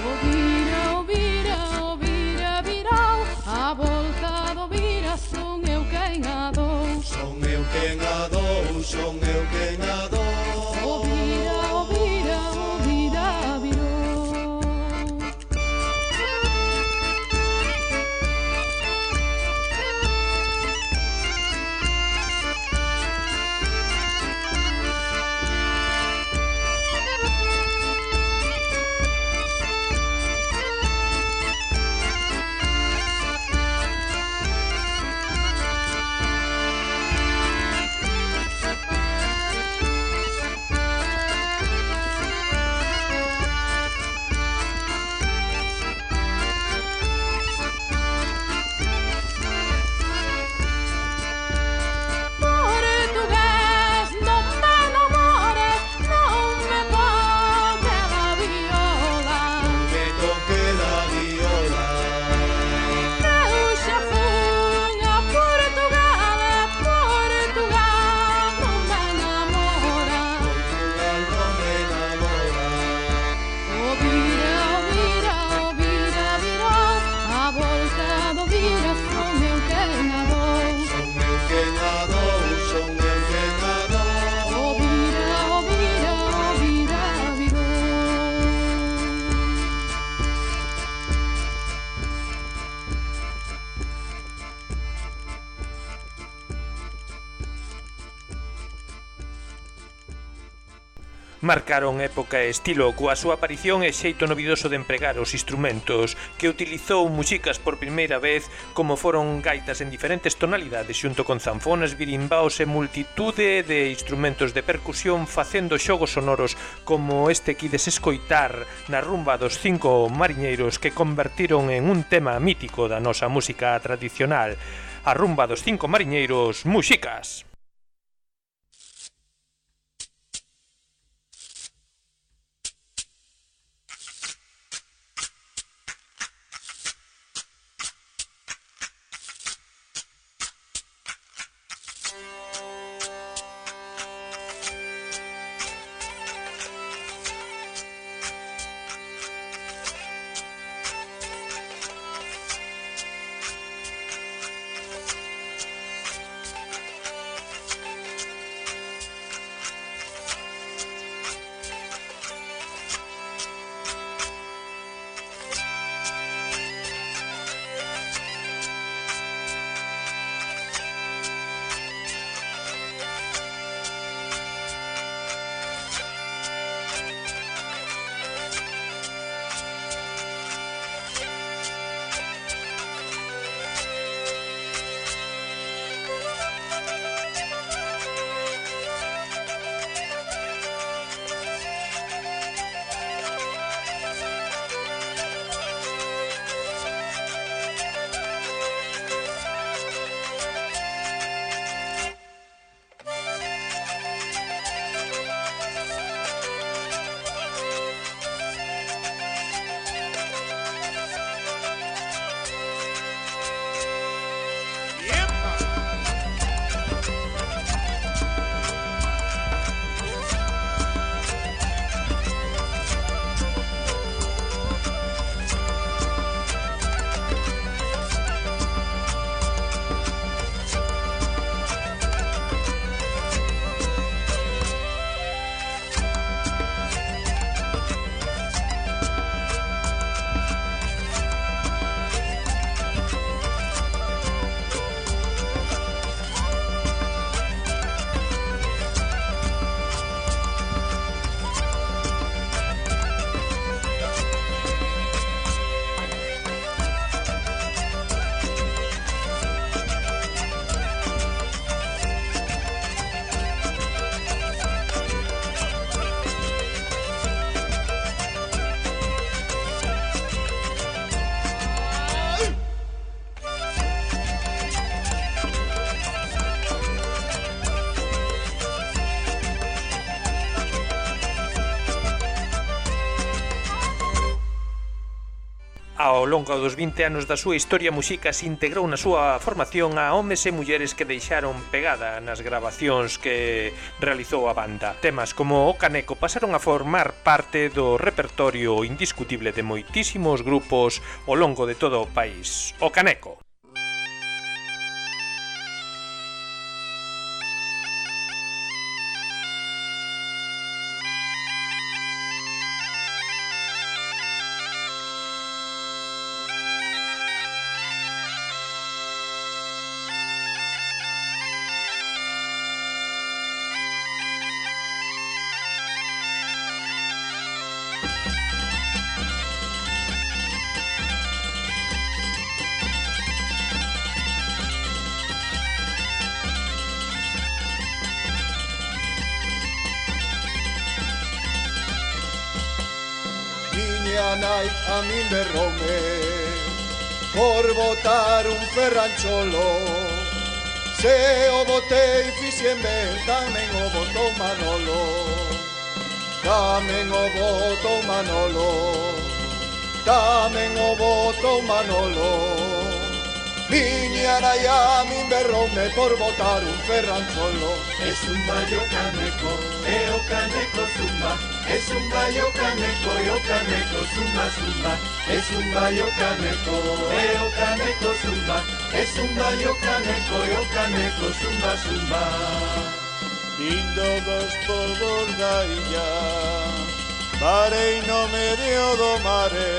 O vira, o vira, o vira, virou. A volta do vira son eu quen a dou. Son eu quen a dou, son eu quen a dou. O vira, o vira, o vira, virou. Marcaron época e estilo coa súa aparición e xeito novidoso de empregar os instrumentos que utilizou Muxicas por primeira vez, como foron gaitas en diferentes tonalidades xunto con zanfonas, birimbaos e multitude de instrumentos de percusión facendo xogos sonoros como este que ides escoitar na rumba dos 5 mariñeiros que convertiron en un tema mítico da nosa música tradicional, a rumba dos 5 mariñeiros Muxicas. Ao longo dos 20 anos da súa historia, Muxicas integrou na súa formación a homes e mulleres que deixaron pegada nas gravacións que realizou a banda. Temas como O Caneco pasaron a formar parte do repertorio indiscutible de moitísimos grupos ao longo de todo o país. O Caneco. Nai a min berroume por botar un ferrancholo. Se o botei fixen ben, tamén o botou Manolo. Tamén o botou Manolo. Tamén o botou Manolo. Miña nai a min berroume por botar un ferrancholo. Es un bayo caneco, o caneco zumba. Es un bayo caneco e o caneco zumba zumba. Es un bayo caneco e o caneco zumba. Es un bayo caneco e o caneco zumba zumba. Lindo dos polvos da illa, parei no medio do mare.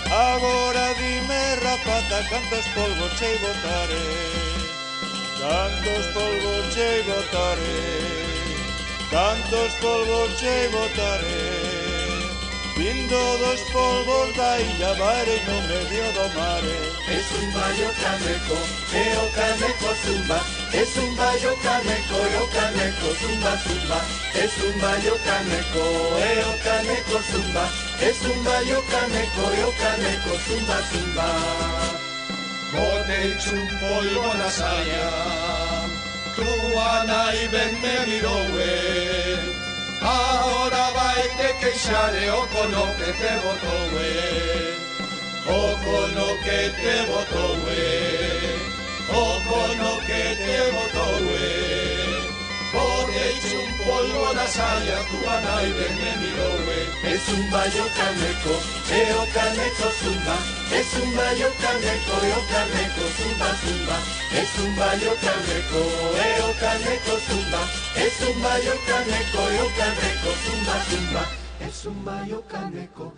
Agora dime, rapata, cantos polvos chei botare. Cantos polvos chei botare. Cantos polvos che botaré, vindo dos polvos da illa Bare no medio do mare. Es un bayo caneco, o caneco zumba. Es un bayo caneco, o caneco zumba zumba. Es un bayo caneco, o caneco zumba. Es un bayo caneco, o caneco zumba zumba. Botei un polvo na saia, tua nai ben me mirou. Ahora vai te queixare o cono que te botou, o cono que te botou, o cono que te botou. Botei un polvo na saia, tua nai ben me mirou. Es un bayo caneco, o caneco zumba. Es un bayo caneco, o caneco zumba zumba. Es un bayo caneco, o caneco zumba. Es un bayo caneco, o caneco zumba zumba. Es un bayo caneco,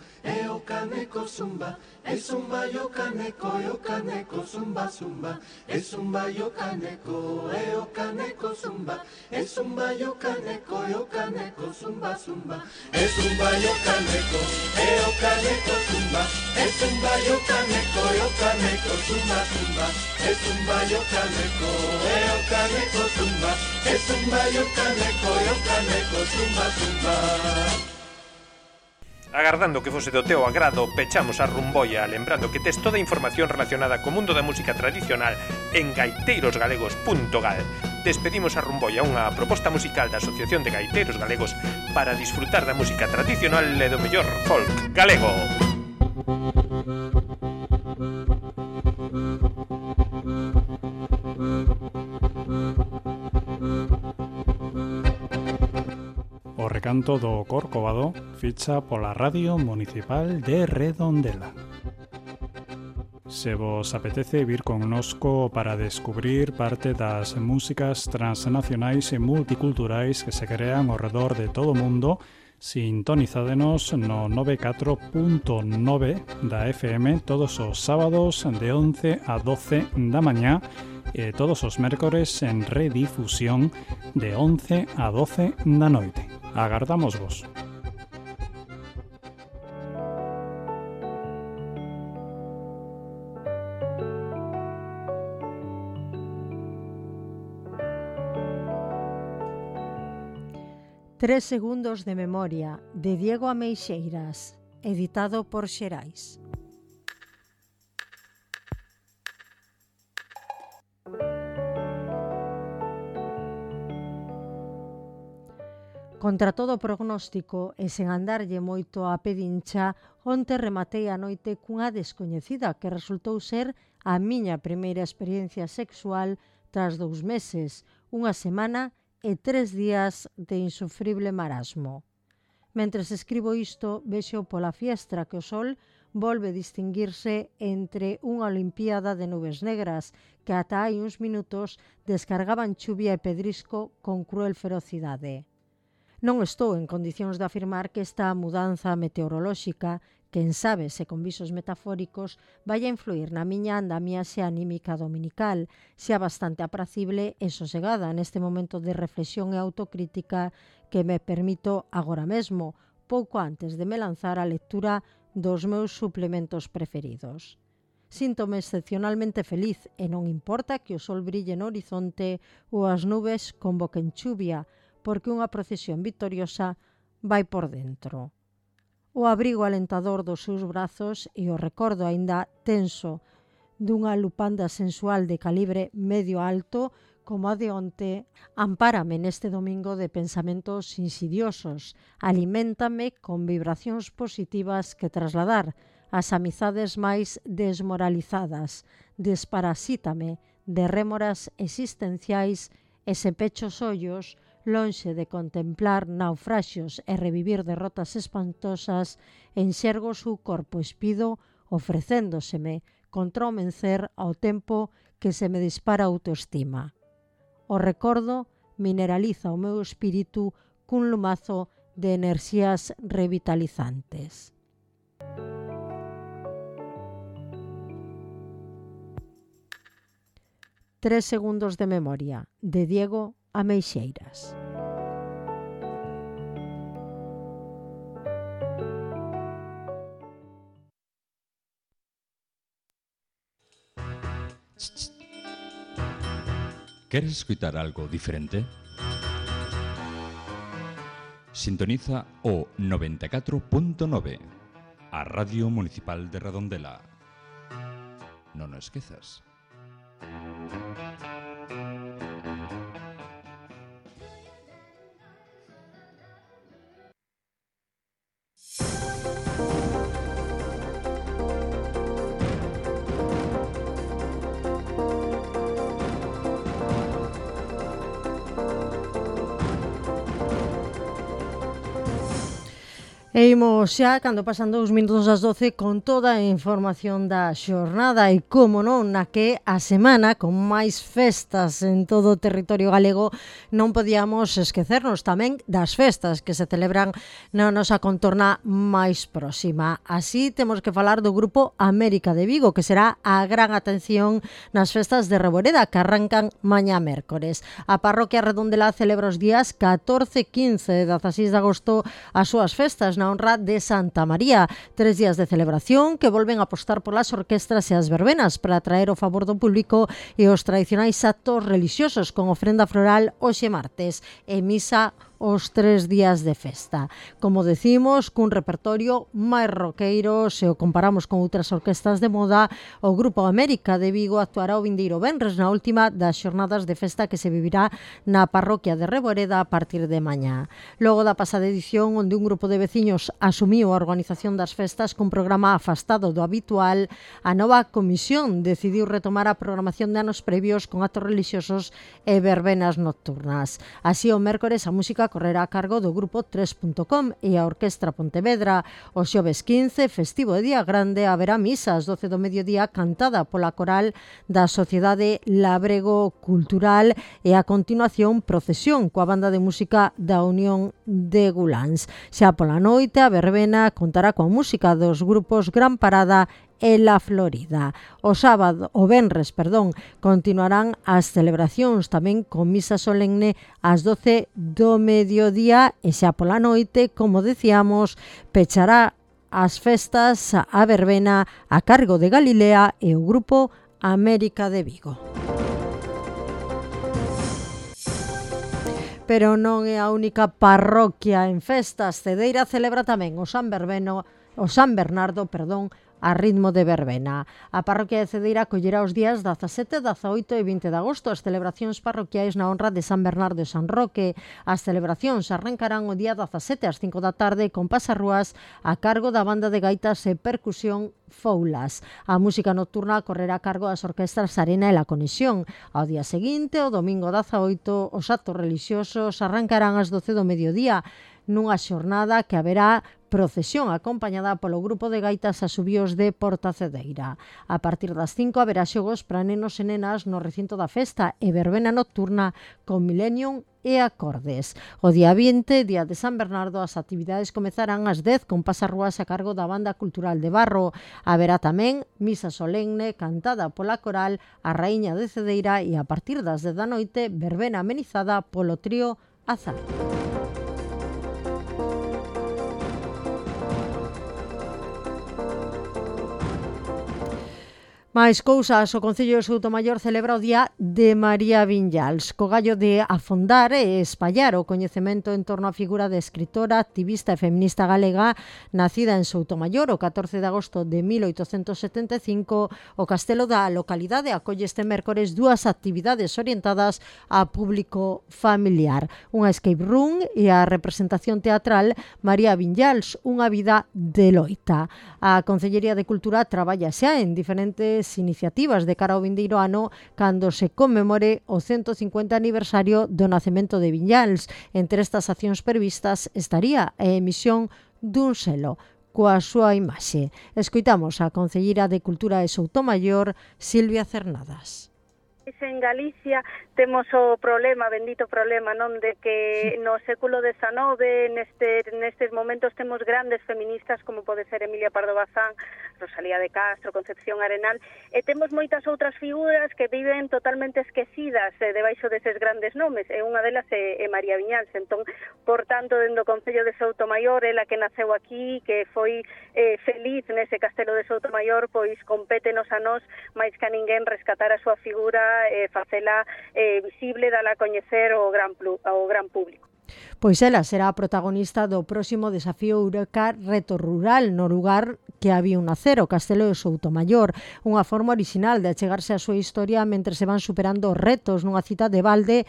o caneco zumba. Es un bayo caneco, o caneco zumba zumba. Es un bayo caneco, o caneco zumba. Es un bayo caneco, o caneco zumba zumba. Es un bayo caneco, o caneco zumba. Es un bayo caneco, o caneco zumba zumba. Es un bayo caneco, o caneco zumba. Es un bayo caneco, o caneco zumba zumba. Agardando que fose do teu agrado, pechamos a rumboia, lembrando que tes toda a información relacionada co mundo da música tradicional en gaiteirosgalegos.gal. Despedimos a rumboia, unha proposta musical da Asociación de Gaiteiros Galegos para disfrutar da música tradicional e do mellor folk galego. O recanto do Corcovado ficha pola Radio Municipal de Redondela. Se vos apetece vir connosco para descubrir parte das músicas transnacionais e multiculturais que se crean ao redor de todo o mundo, sintonizádenos no 94.9 da FM todos os sábados de 11 a 12 da mañá e todos os mércores en redifusión de 11 a 12 da noite. Agardamos vos. Tres segundos de memoria, de Diego Ameixeiras, editado por Xerais. Contra todo prognóstico e sen andarlle moito a pedincha, onte rematei a noite cunha descoñecida que resultou ser a miña primeira experiencia sexual tras 2 meses, unha semana e 3 días de insufrible marasmo. Mentres escribo isto, vexo pola fiestra que o sol volve distinguirse entre unha olimpiada de nubes negras que ata hai uns minutos descargaban chuvia e pedrisco con cruel ferocidade. Non estou en condicións de afirmar que esta mudanza meteorolóxica, quen sabe se con visos metafóricos, vai a influir na miña andamiaxe anímica dominical, xa bastante apracible e sosegada neste momento de reflexión e autocrítica que me permito agora mesmo, pouco antes de me lanzar á lectura dos meus suplementos preferidos. Síntome excepcionalmente feliz e non importa que o sol brille no horizonte ou as nubes convoquen chuvia, porque unha procesión victoriosa vai por dentro. O abrigo alentador dos seus brazos e o recordo aínda tenso dunha lupanda sensual de calibre medio alto como a de onte, ampárame neste domingo de pensamentos insidiosos, aliméntame con vibracións positivas que trasladar ás amizades máis desmoralizadas, desparasítame de rémoras existenciais e se pecho os ollos, lonxe de contemplar naufraxios e revivir derrotas espantosas, enxergo o seu corpo espido ofrecéndoseme contra o mencer ao tempo que se me dispara a autoestima. O recordo mineraliza o meu espírito cun lumazo de enerxías revitalizantes. Tres segundos de memoria, de Diego Ameixeiras. ¿Queres escuchar algo diferente? Sintoniza o 94.9, a Radio Municipal de Redondela. Non o esquezas. E imos xa, cando pasan 2 minutos ás 12, con toda a información da xornada e, como non, na que a semana, con máis festas en todo o territorio galego, non podíamos esquecernos tamén das festas que se celebran na nosa contorna máis próxima. Así, temos que falar do grupo América de Vigo, que será a gran atención nas festas de Reboreda, que arrancan mañá mércores. A parroquia Redondela celebra os días 14, 15 e 16 de agosto as súas festas na honra de Santa María. 3 días de celebración que volven a apostar polas orquestras e as verbenas para atraer o favor do público e os tradicionais actos religiosos con ofrenda floral hoxe martes e misa os 3 días de festa. Como decimos, cun repertorio máis roqueiro, se o comparamos con outras orquestas de moda, o Grupo América de Vigo actuará o vindeiro venres na última das xornadas de festa que se vivirá na parroquia de Reboreda a partir de mañá. Logo da pasada edición, onde un grupo de veciños asumiu a organización das festas cun programa afastado do habitual, a nova comisión decidiu retomar a programación de anos previos con actos religiosos e verbenas nocturnas. Así, o mércores a música correrá a cargo do grupo 3.com e a Orquestra Pontevedra. O xoves 15, festivo de Día Grande, haberá misa ás 12 do mediodía cantada pola coral da Sociedade Labrego Cultural e a continuación procesión coa banda de música da Unión de Guláns. Xa pola noite, a verbena contará coa música dos grupos Gran Parada e La Florida. O venres, continuarán as celebracións tamén con misa solemne ás 12 do mediodía e xa pola noite, como decíamos, pechará as festas a verbena a cargo de Galilea e o grupo América de Vigo. Pero non é a única parroquia en festas. Cedeira celebra tamén o San Bernardo, a ritmo de verbena. A parroquia de Cedeira acollerá os días 17, 18 e 20 de agosto as celebracións parroquiais na honra de San Bernardo e San Roque. As celebracións arrancarán o día 17 ás 5 da tarde con pasarrúas a cargo da banda de gaitas e percusión Foulas. A música nocturna correrá a cargo das orquestras Arena e La Conexión. Ao día seguinte, o domingo 18, os actos religiosos arrancarán ás 12 do mediodía nunha xornada que haberá procesión acompañada polo grupo de gaitas Asubíos de Portacedeira. A partir das 5 haberá xogos para nenos e nenas no recinto da festa e verbena nocturna con Millennium e acordes. O día 20, día de San Bernardo, as actividades comezarán ás 10 con pasarrúas a cargo da Banda Cultural de Barro. Haberá tamén misa solemne cantada pola coral A Raíña de Cedeira e a partir das 10 da noite verbena amenizada polo trío Azar. Mais cousas, o Concello de Soutomaior celebra o Día de María Viñals, co gallo de afondar e espallar o coñecemento en torno á figura de escritora, activista e feminista galega, nacida en Soutomaior o 14 de agosto de 1875. O castelo da localidade acolle este mércores 2 actividades orientadas a público familiar. Unha escape room e a representación teatral María Viñals, unha vida de loita. A Concellería de Cultura traballa xa en diferentes iniciativas de cara ao vindeiro ano cando se conmemore o 150 aniversario do nacemento de Viñals. Entre estas accións previstas estaría a emisión dun selo coa súa imaxe. Escoitamos a Concelleira de Cultura de Soutomaior, Silvia Cernadas. En Galicia temos o problema, bendito problema, non, de que no século XIX nestes momentos temos grandes feministas como pode ser Emilia Pardo Bazán, Rosalía de Castro, Concepción Arenal, e temos moitas outras figuras que viven totalmente esquecidas debaixo deses grandes nomes, e unha delas é María Viñals. Entón, por tanto, dentro do Concello de Soutomaior, ela que naceu aquí, que foi feliz nese castelo de Soutomaior, pois compétenos a nós máis que a ninguén rescatar a súa figura, facela visible, dala a coñecer ao gran público. Pois ela será a protagonista do próximo desafío Eureka Reto Rural no lugar que había un nacer, o Castelo de Soutomaior, unha forma original de achegarse a súa historia mentre se van superando os retos nunha cita de balde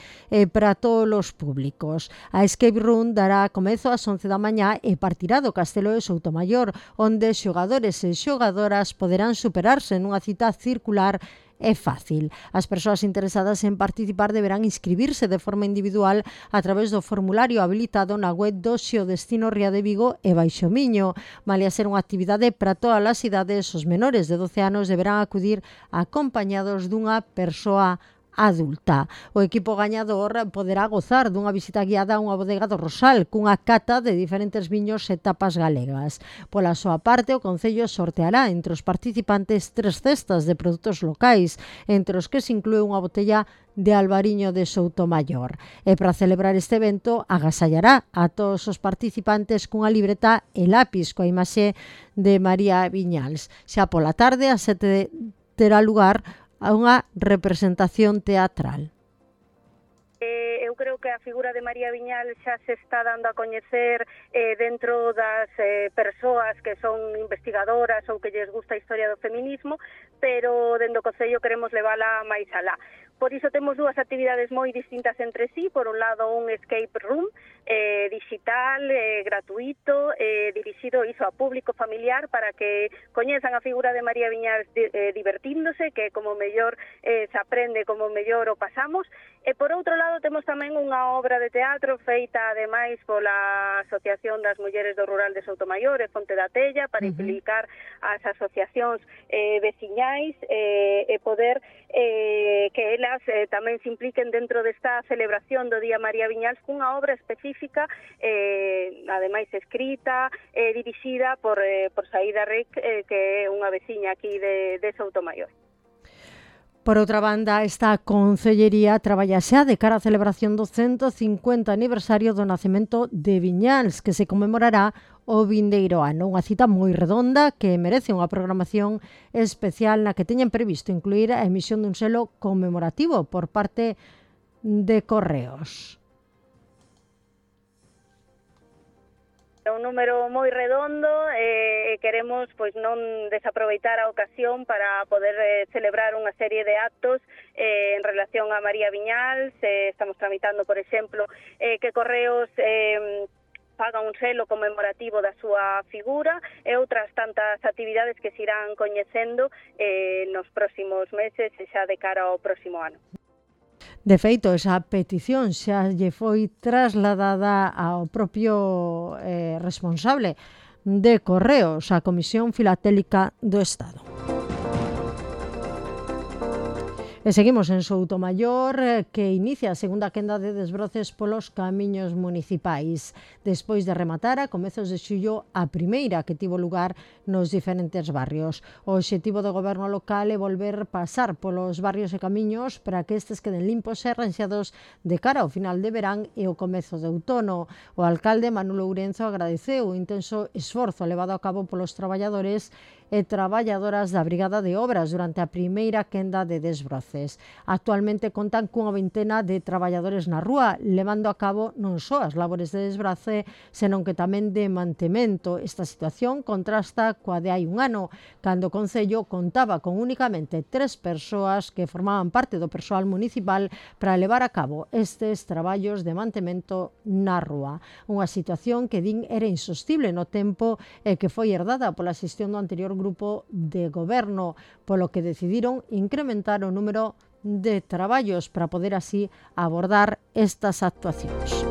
para todos os públicos. A Escape Room dará comezo ás 11 da mañá e partirá do Castelo de Soutomaior, onde xogadores e xogadoras poderán superarse nunha cita circular. É fácil. As persoas interesadas en participar deberán inscribirse de forma individual a través do formulario habilitado na web do Xeodestino Ría de Vigo e Baixomiño. Malia ser unha actividade para todas as idades, os menores de 12 anos deberán acudir acompañados dunha persoa adulta. O equipo gañador poderá gozar dunha visita guiada a unha bodega do Rosal cunha cata de diferentes viños e tapas galegas. Pola súa parte, o Concello sorteará entre os participantes 3 cestas de produtos locais, entre os que se inclúe unha botella de Albariño de Soutomaior. E para celebrar este evento, agasallará a todos os participantes cunha libreta e lápis coa imaxe de María Viñals. Xa pola tarde, a 7 terá lugar a unha representación teatral. Eu creo que a figura de María Viñals xa se está dando a coñecer dentro das persoas que son investigadoras ou que lles gusta a historia do feminismo, pero dentro do Concello queremos levala máis alá. Por iso temos dúas actividades moi distintas entre sí. Por un lado, un escape room digital, gratuito, dirixido iso a público familiar para que coñezan a figura de María Viñals divertíndose, que como mellor se aprende, como mellor o pasamos. E por outro lado, temos tamén unha obra de teatro feita ademais pola Asociación das Mulleres do Rural de Soutomaior e Fonte da Tella para implicar as asociacións veciñais e poder que elas tamén se impliquen dentro desta celebración do Día María Viñals cunha obra específica, ademais escrita, dirixida por Saída Ric, que é unha veciña aquí de Soutomaior. Por outra banda, esta Concellería traballa xa de cara á celebración do 150 aniversario do nacemento de Viñals, que se conmemorará o vindeiro ano. Unha cita moi redonda que merece unha programación especial na que teñen previsto incluir a emisión dun selo conmemorativo por parte de Correos. É un número moi redondo e queremos pois non desaproveitar a ocasión para poder celebrar unha serie de actos en relación a María Viñals. Estamos tramitando, por exemplo, que Correos faga un selo conmemorativo da súa figura e outras tantas actividades que se irán coñecendo nos próximos meses e xa de cara ao próximo ano. De feito, esa petición xa lle foi trasladada ao propio responsable de Correos, a Comisión Filatélica do Estado. E seguimos en Soutomaior, que inicia a segunda quenda de desbroces polos camiños municipais. Despois de rematar a comezos de xullo a primeira que tivo lugar nos diferentes barrios. O obxectivo do goberno local é volver pasar polos barrios e camiños para que estes queden limpos e arranxados de cara ao final de verán e o comezo de outono. O alcalde Manuel Ourenzo agradeceu o intenso esforzo levado a cabo polos traballadores e traballadoras da Brigada de Obras durante a primeira quenda de desbroces. Actualmente contan cunha vintena de traballadores na rúa, levando a cabo non só as labores de desbrace, senón que tamén de mantemento. Esta situación contrasta coa de hai un ano, cando o Concello contaba con únicamente 3 persoas que formaban parte do persoal municipal para levar a cabo estes traballos de mantemento na rúa. Unha situación que din era insostible no tempo e que foi herdada pola xestión do anterior grupo de goberno, polo que decidiron incrementar o número de traballos para poder así abordar estas actuacións.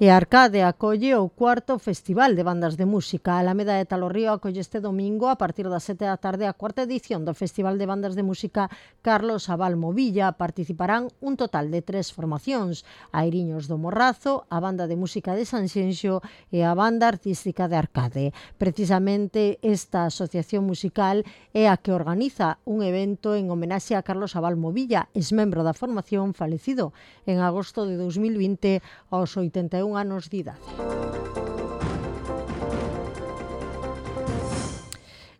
E Arcade acolle o cuarto Festival de Bandas de Música. A Alameda de Talorrío acolle este domingo a partir das 7 da tarde a cuarta edición do Festival de Bandas de Música Carlos Abal Movilla. Participarán un total de 3 formacións: Airiños do Morrazo, a Banda de Música de Sanxenxo e a Banda Artística de Arcade. Precisamente esta asociación musical é a que organiza un evento en homenaxe a Carlos Abal Movilla, exmembro da formación, falecido en agosto de 2020 aos 81 anos de idade.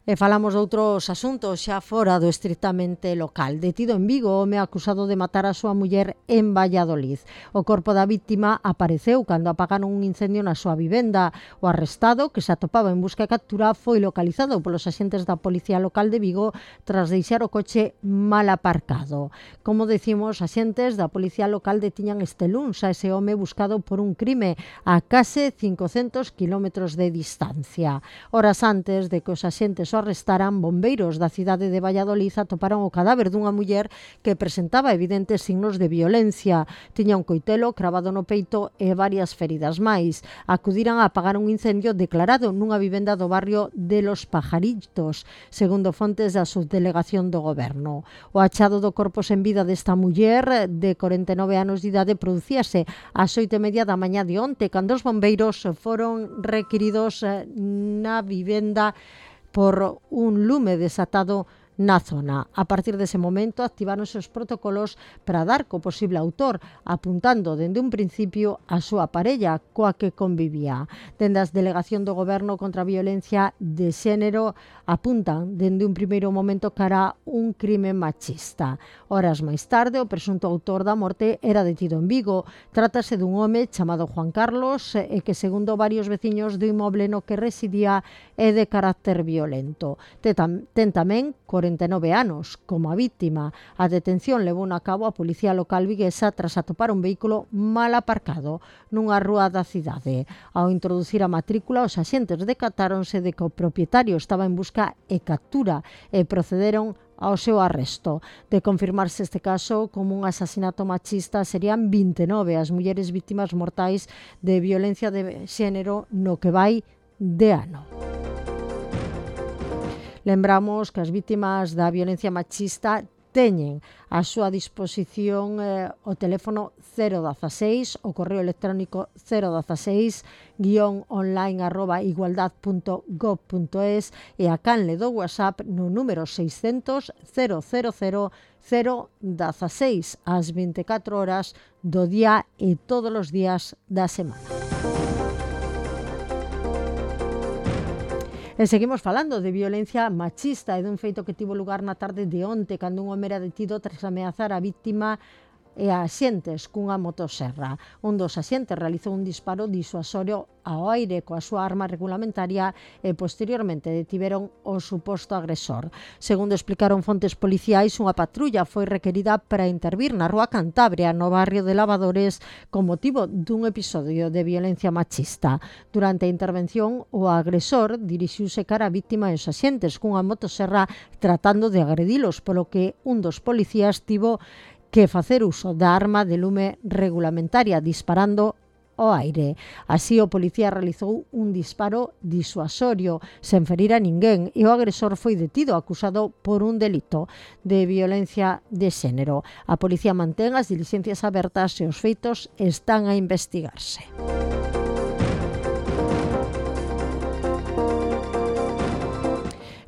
E falamos de outros asuntos xa fora do estritamente local. Detido en Vigo, home acusado de matar a súa muller en Valladolid. O corpo da víctima apareceu cando apagaron un incendio na súa vivenda. O arrestado, que se atopaba en busca e captura, foi localizado polos axentes da Policía Local de Vigo tras deixar o coche mal aparcado. Como decimos, axentes da Policía Local detiñan este luns a ese home buscado por un crime a case 500 kilómetros de distancia. Horas antes de que os axentes o arrestaran, bombeiros da cidade de Valladolid atoparon o cadáver dunha muller que presentaba evidentes signos de violencia. Tiña un coitelo cravado no peito e varias feridas máis. Acudiran a apagar un incendio declarado nunha vivenda do barrio de Los Pajaritos, segundo fontes da subdelegación do goberno. O achado do corpo sen vida desta muller de 49 anos de idade producíase ás 8:30 da mañá de onte, cando os bombeiros foron requiridos na vivenda por un lume desatado na zona. A partir dese momento activáronse os protocolos para dar co posible autor, apuntando dende un principio a súa parella coa que convivía. Dende a Delegación do Goberno contra a Violencia de Xénero apuntan dende un primeiro momento cara un crime machista. Horas máis tarde, o presunto autor da morte era detido en Vigo. Trátase dun home chamado Juan Carlos e que, segundo varios veciños do inmoble no que residía, é de carácter violento. Ten tamén 49 anos como a víctima. A detención levou a cabo a Policía Local viguesa tras atopar un vehículo mal aparcado nunha rúa da cidade. Ao introducir a matrícula, os axentes decatáronse de que o propietario estaba en busca e captura e procederon ao seu arresto. De confirmarse este caso como un asasinato machista, serían 29 as mulleres víctimas mortais de violencia de xénero no que vai de ano. Lembramos que as vítimas da violencia machista teñen a súa disposición o teléfono 016, o correo electrónico 016-online@igualdad.gov.es e a canle do WhatsApp no número 600 000 016 ás 24 horas do día e todos os días da semana. E seguimos falando de violencia machista e dun feito que tivo lugar na tarde de onte, cando un home era detido tras ameazar a víctima e a axentes cunha motoserra. Un dos axentes realizou un disparo disuasorio ao aire coa súa arma regulamentaria e posteriormente detiveron o suposto agresor. Segundo explicaron fontes policiais, unha patrulla foi requerida para intervir na Rúa Cantabria, no barrio de Lavadores, con motivo dun episodio de violencia machista. Durante a intervención, o agresor dirixiuse cara á víctima e os axentes cunha motoserra tratando de agredilos, polo que un dos policías tivo que facer uso da arma de lume regulamentaria, disparando ao aire. Así, o policía realizou un disparo disuasorio sen ferir a ninguén e o agresor foi detido acusado por un delito de violencia de xénero. A policía mantén as diligencias abertas e os feitos están a investigarse.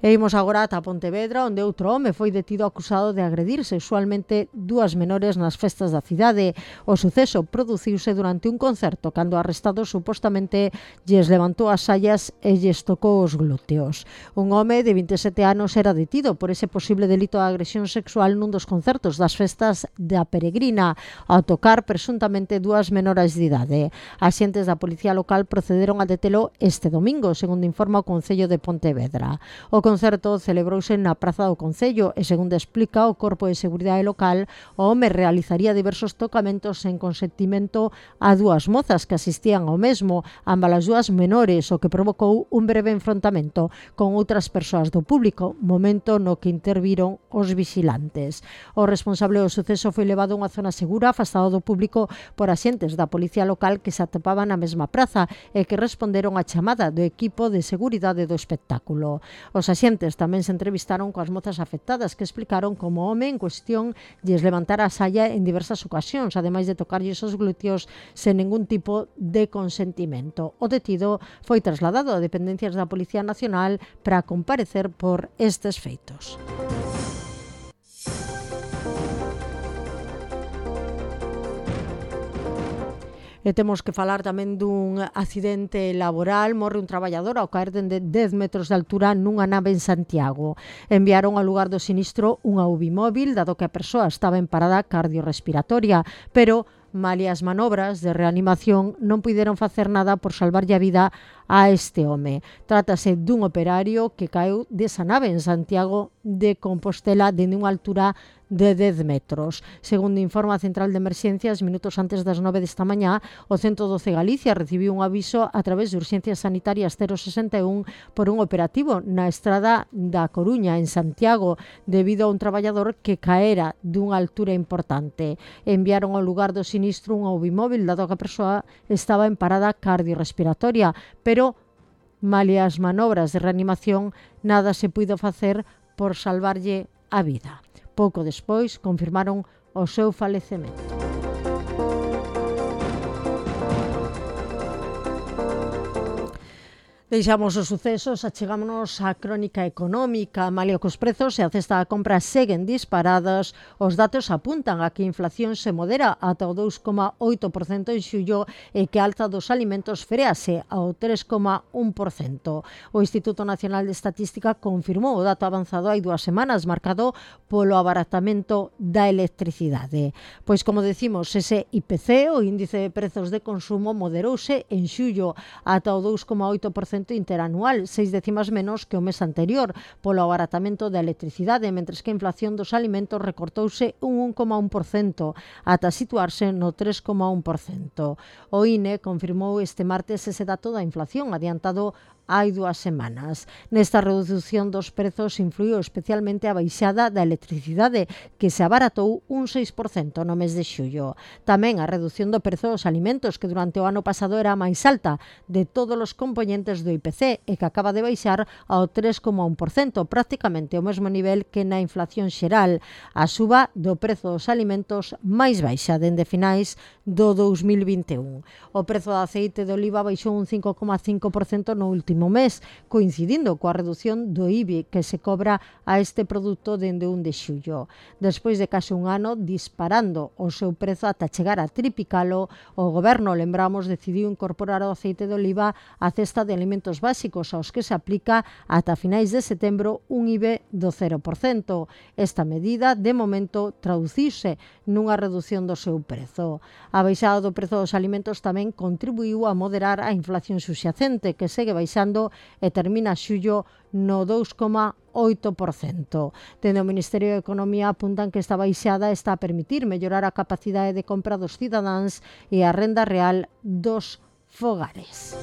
E imos agora ata Pontevedra, onde outro home foi detido acusado de agredir sexualmente dúas menores nas festas da cidade. O suceso produciuse durante un concerto, cando o arrestado supostamente lles levantou as saias e lles tocou os glúteos. Un home de 27 anos era detido por ese posible delito de agresión sexual nun dos concertos das festas da Peregrina, ao tocar presuntamente dúas menores de idade. Axentes da Policía Local procederon a detelo este domingo, segundo informa o Concello de Pontevedra. O concerto celebrouse na Praza do Concello e, segundo explica o Corpo de Seguridade Local, o home realizaría diversos tocamentos en consentimento a dúas mozas que asistían ao mesmo, ambas as dúas menores, o que provocou un breve enfrontamento con outras persoas do público, momento no que interviron os vigilantes. O responsable do suceso foi levado a unha zona segura, afastado do público por axentes da Policía Local que se atopaban na mesma praza e que responderon á chamada do equipo de seguridade do espectáculo. Os axentes tamén se entrevistaron coas mozas afectadas que explicaron como o home en cuestión lles levantara a saia en diversas ocasións, ademais de tocarlles os glúteos sen ningún tipo de consentimento. O detido foi trasladado a dependencias da Policía Nacional para comparecer por estes feitos. E temos que falar tamén dun accidente laboral. Morre un traballador ao caer dende 10 metros de altura nunha nave en Santiago. Enviaron ao lugar do sinistro unha UBI móvil, dado que a persoa estaba en parada cardiorrespiratoria, pero malia as manobras de reanimación non puideron facer nada por salvarlle a vida a este home. Trátase dun operario que caeu desa nave en Santiago de Compostela dende unha altura de 10 metros. Segundo informa a Central de Emerxencias, minutos antes das 9 desta mañá, o 112 Galicia recibiu un aviso a través de Urxencias Sanitarias 061 por un operativo na estrada da Coruña, en Santiago, debido a un traballador que caera dunha altura importante. Enviaron ao lugar do sinistro un UBI móvil, dado que a persoa estaba en parada cardiorrespiratoria, pero malia as manobras de reanimación nada se puido facer por salvarlle a vida. Pouco despois confirmaron o seu falecemento. Deixamos os sucesos, achegámonos á crónica económica. Malia que os prezos e a cesta da compra seguen disparadas, os datos apuntan a que a inflación se modera ata o 2,8% en xullo e que a alza dos alimentos frease ao 3,1%. O Instituto Nacional de Estatística confirmou o dato avanzado hai 2 semanas, marcado polo abaratamento da electricidade. Pois, como decimos, ese IPC, o índice de prezos de consumo, moderouse en xullo ata o 2,8% interanual, 6 décimas menos que o mes anterior, polo abaratamento da electricidade, mentres que a inflación dos alimentos recortouse un 1,1% ata situarse no 3,1%. O INE confirmou este martes ese dato da inflación adiantado hai 2 semanas. Nesta redución dos prezos influiu especialmente a baixada da electricidade, que se abaratou un 6% no mes de xullo. Tamén a redución do prezo dos alimentos, que durante o ano pasado era a máis alta de todos os componentes do IPC e que acaba de baixar ao 3,1%, prácticamente o mesmo nivel que na inflación xeral. A suba do prezo dos alimentos máis baixa dende finais do 2021. O prezo do aceite de oliva baixou un 5,5% no último mes, coincidindo coa reducción do IBI que se cobra a este produto dende 1 de xullo. Despois de case un ano disparando o seu prezo ata chegar a triplicalo, o Goberno, lembramos, decidiu incorporar o aceite de oliva á cesta de alimentos básicos, aos que se aplica ata finais de setembro un IBI do 0%. Esta medida, de momento, traduciuse nunha reducción do seu prezo. A baixada do prezo dos alimentos tamén contribuiu a moderar a inflación subxacente, que segue baixando e termina xullo no 2,8%. Dende o Ministerio de Economía apuntan que esta baixada está a permitir mellorar a capacidade de compra dos cidadáns e a renda real dos fogares.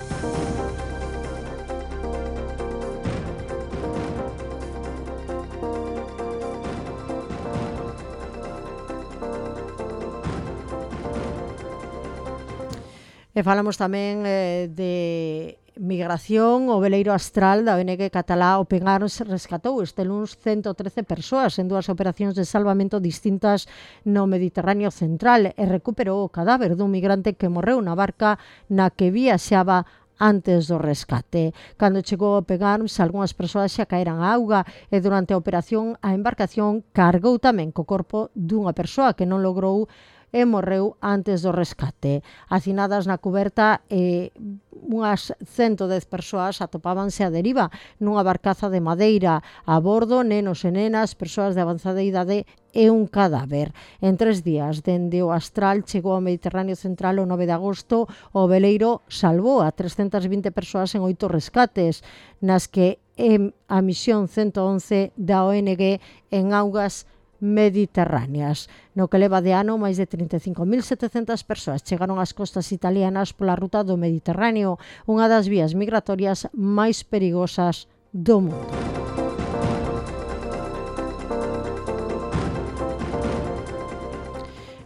E falamos tamén de migración. O veleiro Astral da ONG catalá Open Arms rescatou este luns 113 persoas en 2 operacións de salvamento distintas no Mediterráneo central e recuperou o cadáver dun migrante que morreu na barca na que viaxaba antes do rescate. Cando chegou a Open Arms, algunhas persoas xa caeran á auga e durante a operación a embarcación cargou tamén co corpo dunha persoa que non logrou e morreu antes do rescate. Hacinadas na cuberta, unhas 110 persoas atopábanse a deriva nunha barcaza de madeira. A bordo, nenos e nenas, persoas de avanzada idade e un cadáver. En 3 días, dende o Astral, chegou ao Mediterráneo central o 9 de agosto. O veleiro salvou a 320 persoas en 8 rescates, nas que a misión 111 da ONG en augas mediterráneas. No que leva de ano, máis de 35.700 persoas chegaron ás costas italianas pola ruta do Mediterráneo, unha das vías migratorias máis perigosas do mundo.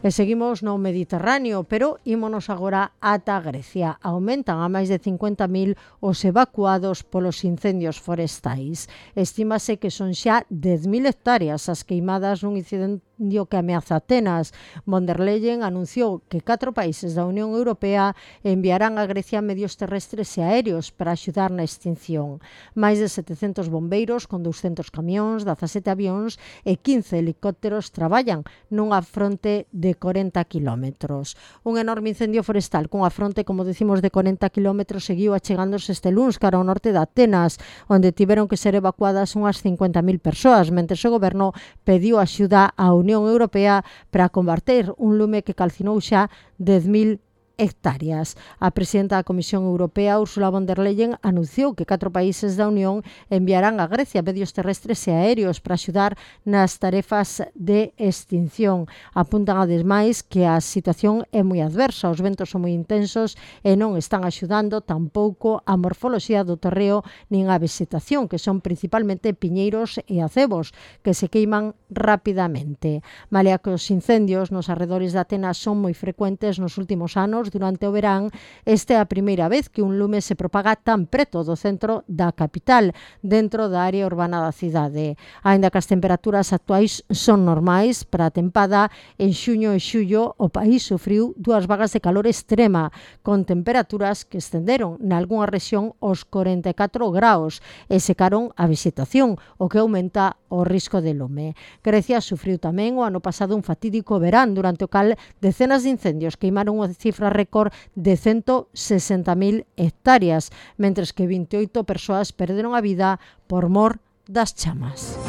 E seguimos no Mediterráneo, pero ímonos agora ata Grecia. Aumentan a máis de 50.000 os evacuados polos incendios forestais. Estímase que son xa 10.000 hectáreas as queimadas nun incendio que ameaza Atenas. Von der Leyen anunciou que 4 países da Unión Europea enviarán a Grecia medios terrestres e aéreos para axudar na extinción. Máis de 700 bombeiros con 200 camións, 17 avións e 15 helicópteros traballan nunha fronte de 40 kilómetros. Un enorme incendio forestal cunha fronte, como decimos, de 40 kilómetros seguiu achegándose este luns cara ao norte de Atenas, onde tiveron que ser evacuadas unhas 50.000 persoas, mentre o goberno pediu axuda á Unión Europea para combater un lume que calcinou xa 10.000 hectáreas. A presidenta da Comisión Europea, Ursula von der Leyen, anunciou que 4 países da Unión enviarán a Grecia medios terrestres e aéreos para axudar nas tarefas de extinción. Apuntan ademais que a situación é moi adversa, os ventos son moi intensos e non están axudando tampouco a morfoloxía do terreo nin a vegetación, que son principalmente piñeiros e acebos, que se queiman rapidamente. Malia que os incendios nos arredores de Atenas son moi frecuentes nos últimos anos, durante o verán, esta é a primeira vez que un lume se propaga tan preto do centro da capital, dentro da área urbana da cidade. Aínda que as temperaturas actuais son normais para a tempada, en xuño e xullo o país sufriu 2 vagas de calor extrema, con temperaturas que estenderon nalgunha rexión os 44 graus e secaron a vegetación, o que aumenta o risco de lume. Grecia sufriu tamén o ano pasado un fatídico verán, durante o cal decenas de incendios queimaron unha cifra récord de 160.000 hectáreas, mentres que 28 persoas perderon a vida por mor das chamas.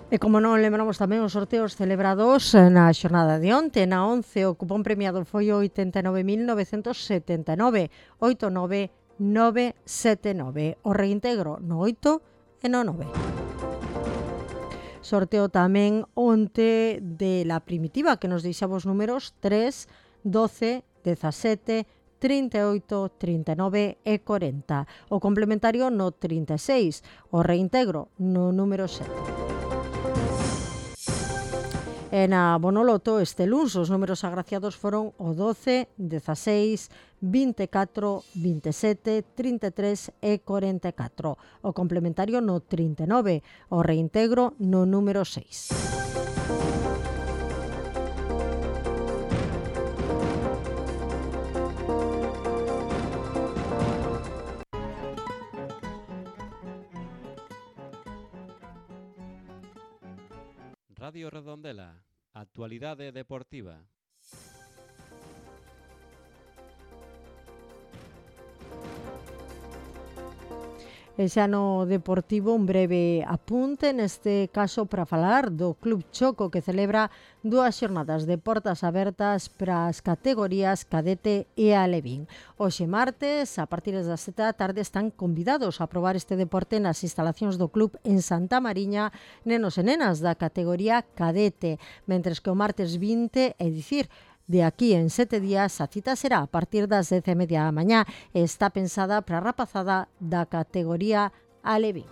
E como non lembramos tamén os sorteos celebrados na xornada de onte, na 11 o cupón premiado foi o 89.979, 89979, o reintegro no 8 e no 9. Sorteo tamén onte de la primitiva, que nos deixaba os números 3, 12, 17, 38, 39 e 40. O complementario no 36, o reintegro no número 7. E na Bonoloto este luns os números agraciados foron o 12, 16, 24, 27, 33 e 44. O complementario no 39, o reintegro no número 6. Radio Redondela, actualidade deportiva. E xa no deportivo un breve apunte, neste caso para falar do Club Choco, que celebra 2 xornadas de portas abertas para as categorías cadete e alevín. Hoxe martes, a partir das 7 da tarde, están convidados a probar este deporte nas instalacións do club en Santa Mariña, nenos e nenas da categoría cadete, mentres que o martes 20, é dicir, de aquí en 7 días, a cita será a partir das 10:30 da mañá e está pensada para a rapazada da categoría alevín.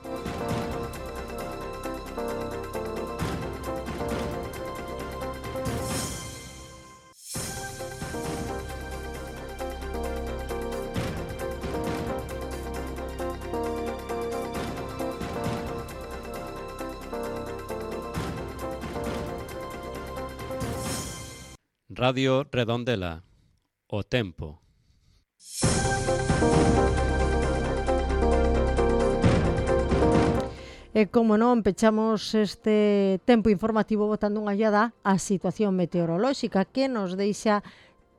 Radio Redondela, o tempo. E como non, pechamos este tempo informativo botando unha ollada á situación meteorolóxica, que nos deixa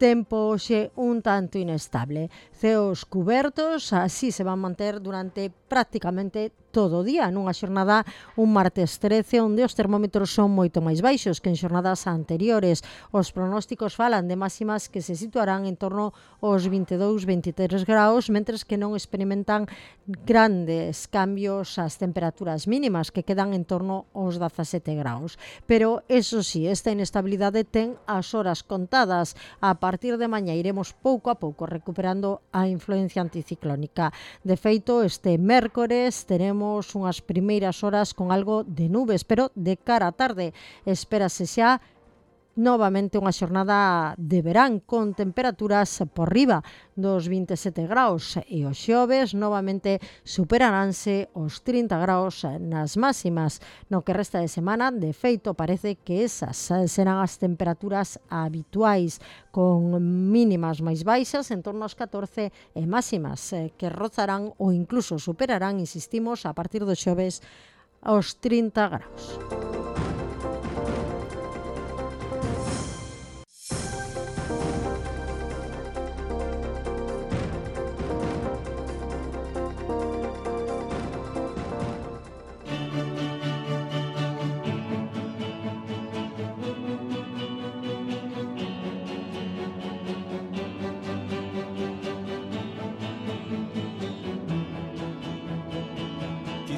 Tempo hoxe un tanto inestable. Ceos cubertos, así se van manter durante prácticamente todo o día, nunha xornada un martes 13 onde os termómetros son moito máis baixos que en xornadas anteriores. Os pronósticos falan de máximas que se situarán en torno aos 22-23 graus, mentres que non experimentan grandes cambios as temperaturas mínimas que quedan en torno aos 17 graus. Pero, eso sí, esta inestabilidade ten as horas contadas. A partir de mañá iremos pouco a pouco recuperando a influencia anticiclónica. De feito, este mércores teremos unhas primeiras horas con algo de nubes, pero de cara á tarde espérase xa novamente unha xornada de verán con temperaturas por riba dos 27 graus e os xoves novamente superaránse os 30 graus nas máximas. No que resta de semana, de feito, parece que esas serán as temperaturas habituais, con mínimas máis baixas en torno aos 14 e máximas que rozarán ou incluso superarán, insistimos, a partir dos xoves aos 30 graus.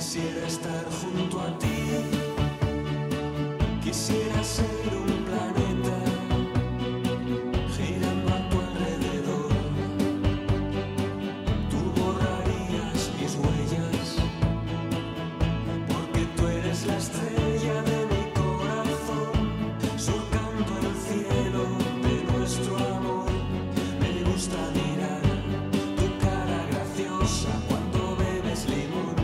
Quisiera estar junto a ti, quisiera ser un planeta girando a tu alrededor. Tú borrarías mis huellas, porque tú eres la estrella de mi corazón, surcando el cielo de nuestro amor. Me gusta mirar tu cara graciosa cuando bebes limón.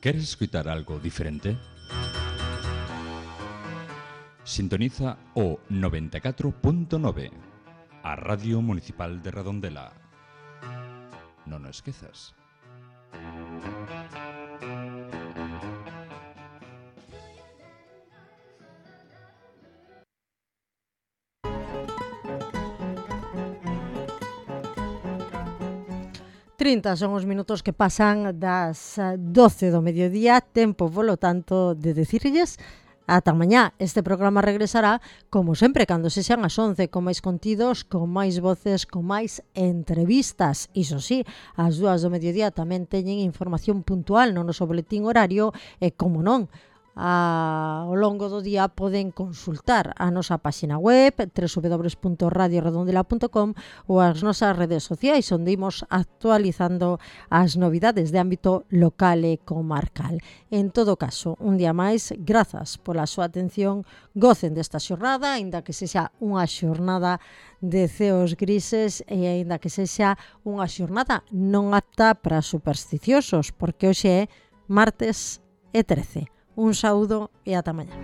¿Queres escutar algo diferente? Sintoniza o 94.9, a Radio Municipal de Redondela. Non o esquezas. Son os minutos que pasan das 12 do mediodía, tempo, polo tanto, de decirlles ata mañá. Este programa regresará, como sempre, cando se xan as 11, con máis contidos, con máis voces, con máis entrevistas. Iso sí, as 2 do mediodía tamén teñen información puntual no noso boletín horario e, como non, ao longo do día poden consultar a nosa páxina web www.radioredondela.com ou as nosas redes sociais, onde imos actualizando as novidades de ámbito local e comarcal. En todo caso, un día máis, grazas pola súa atención, gocen desta xornada, aínda que sexa unha xornada de ceos grises e aínda que sexa unha xornada non apta para supersticiosos, porque hoxe é martes e 13. Un saúdo e ata mañá.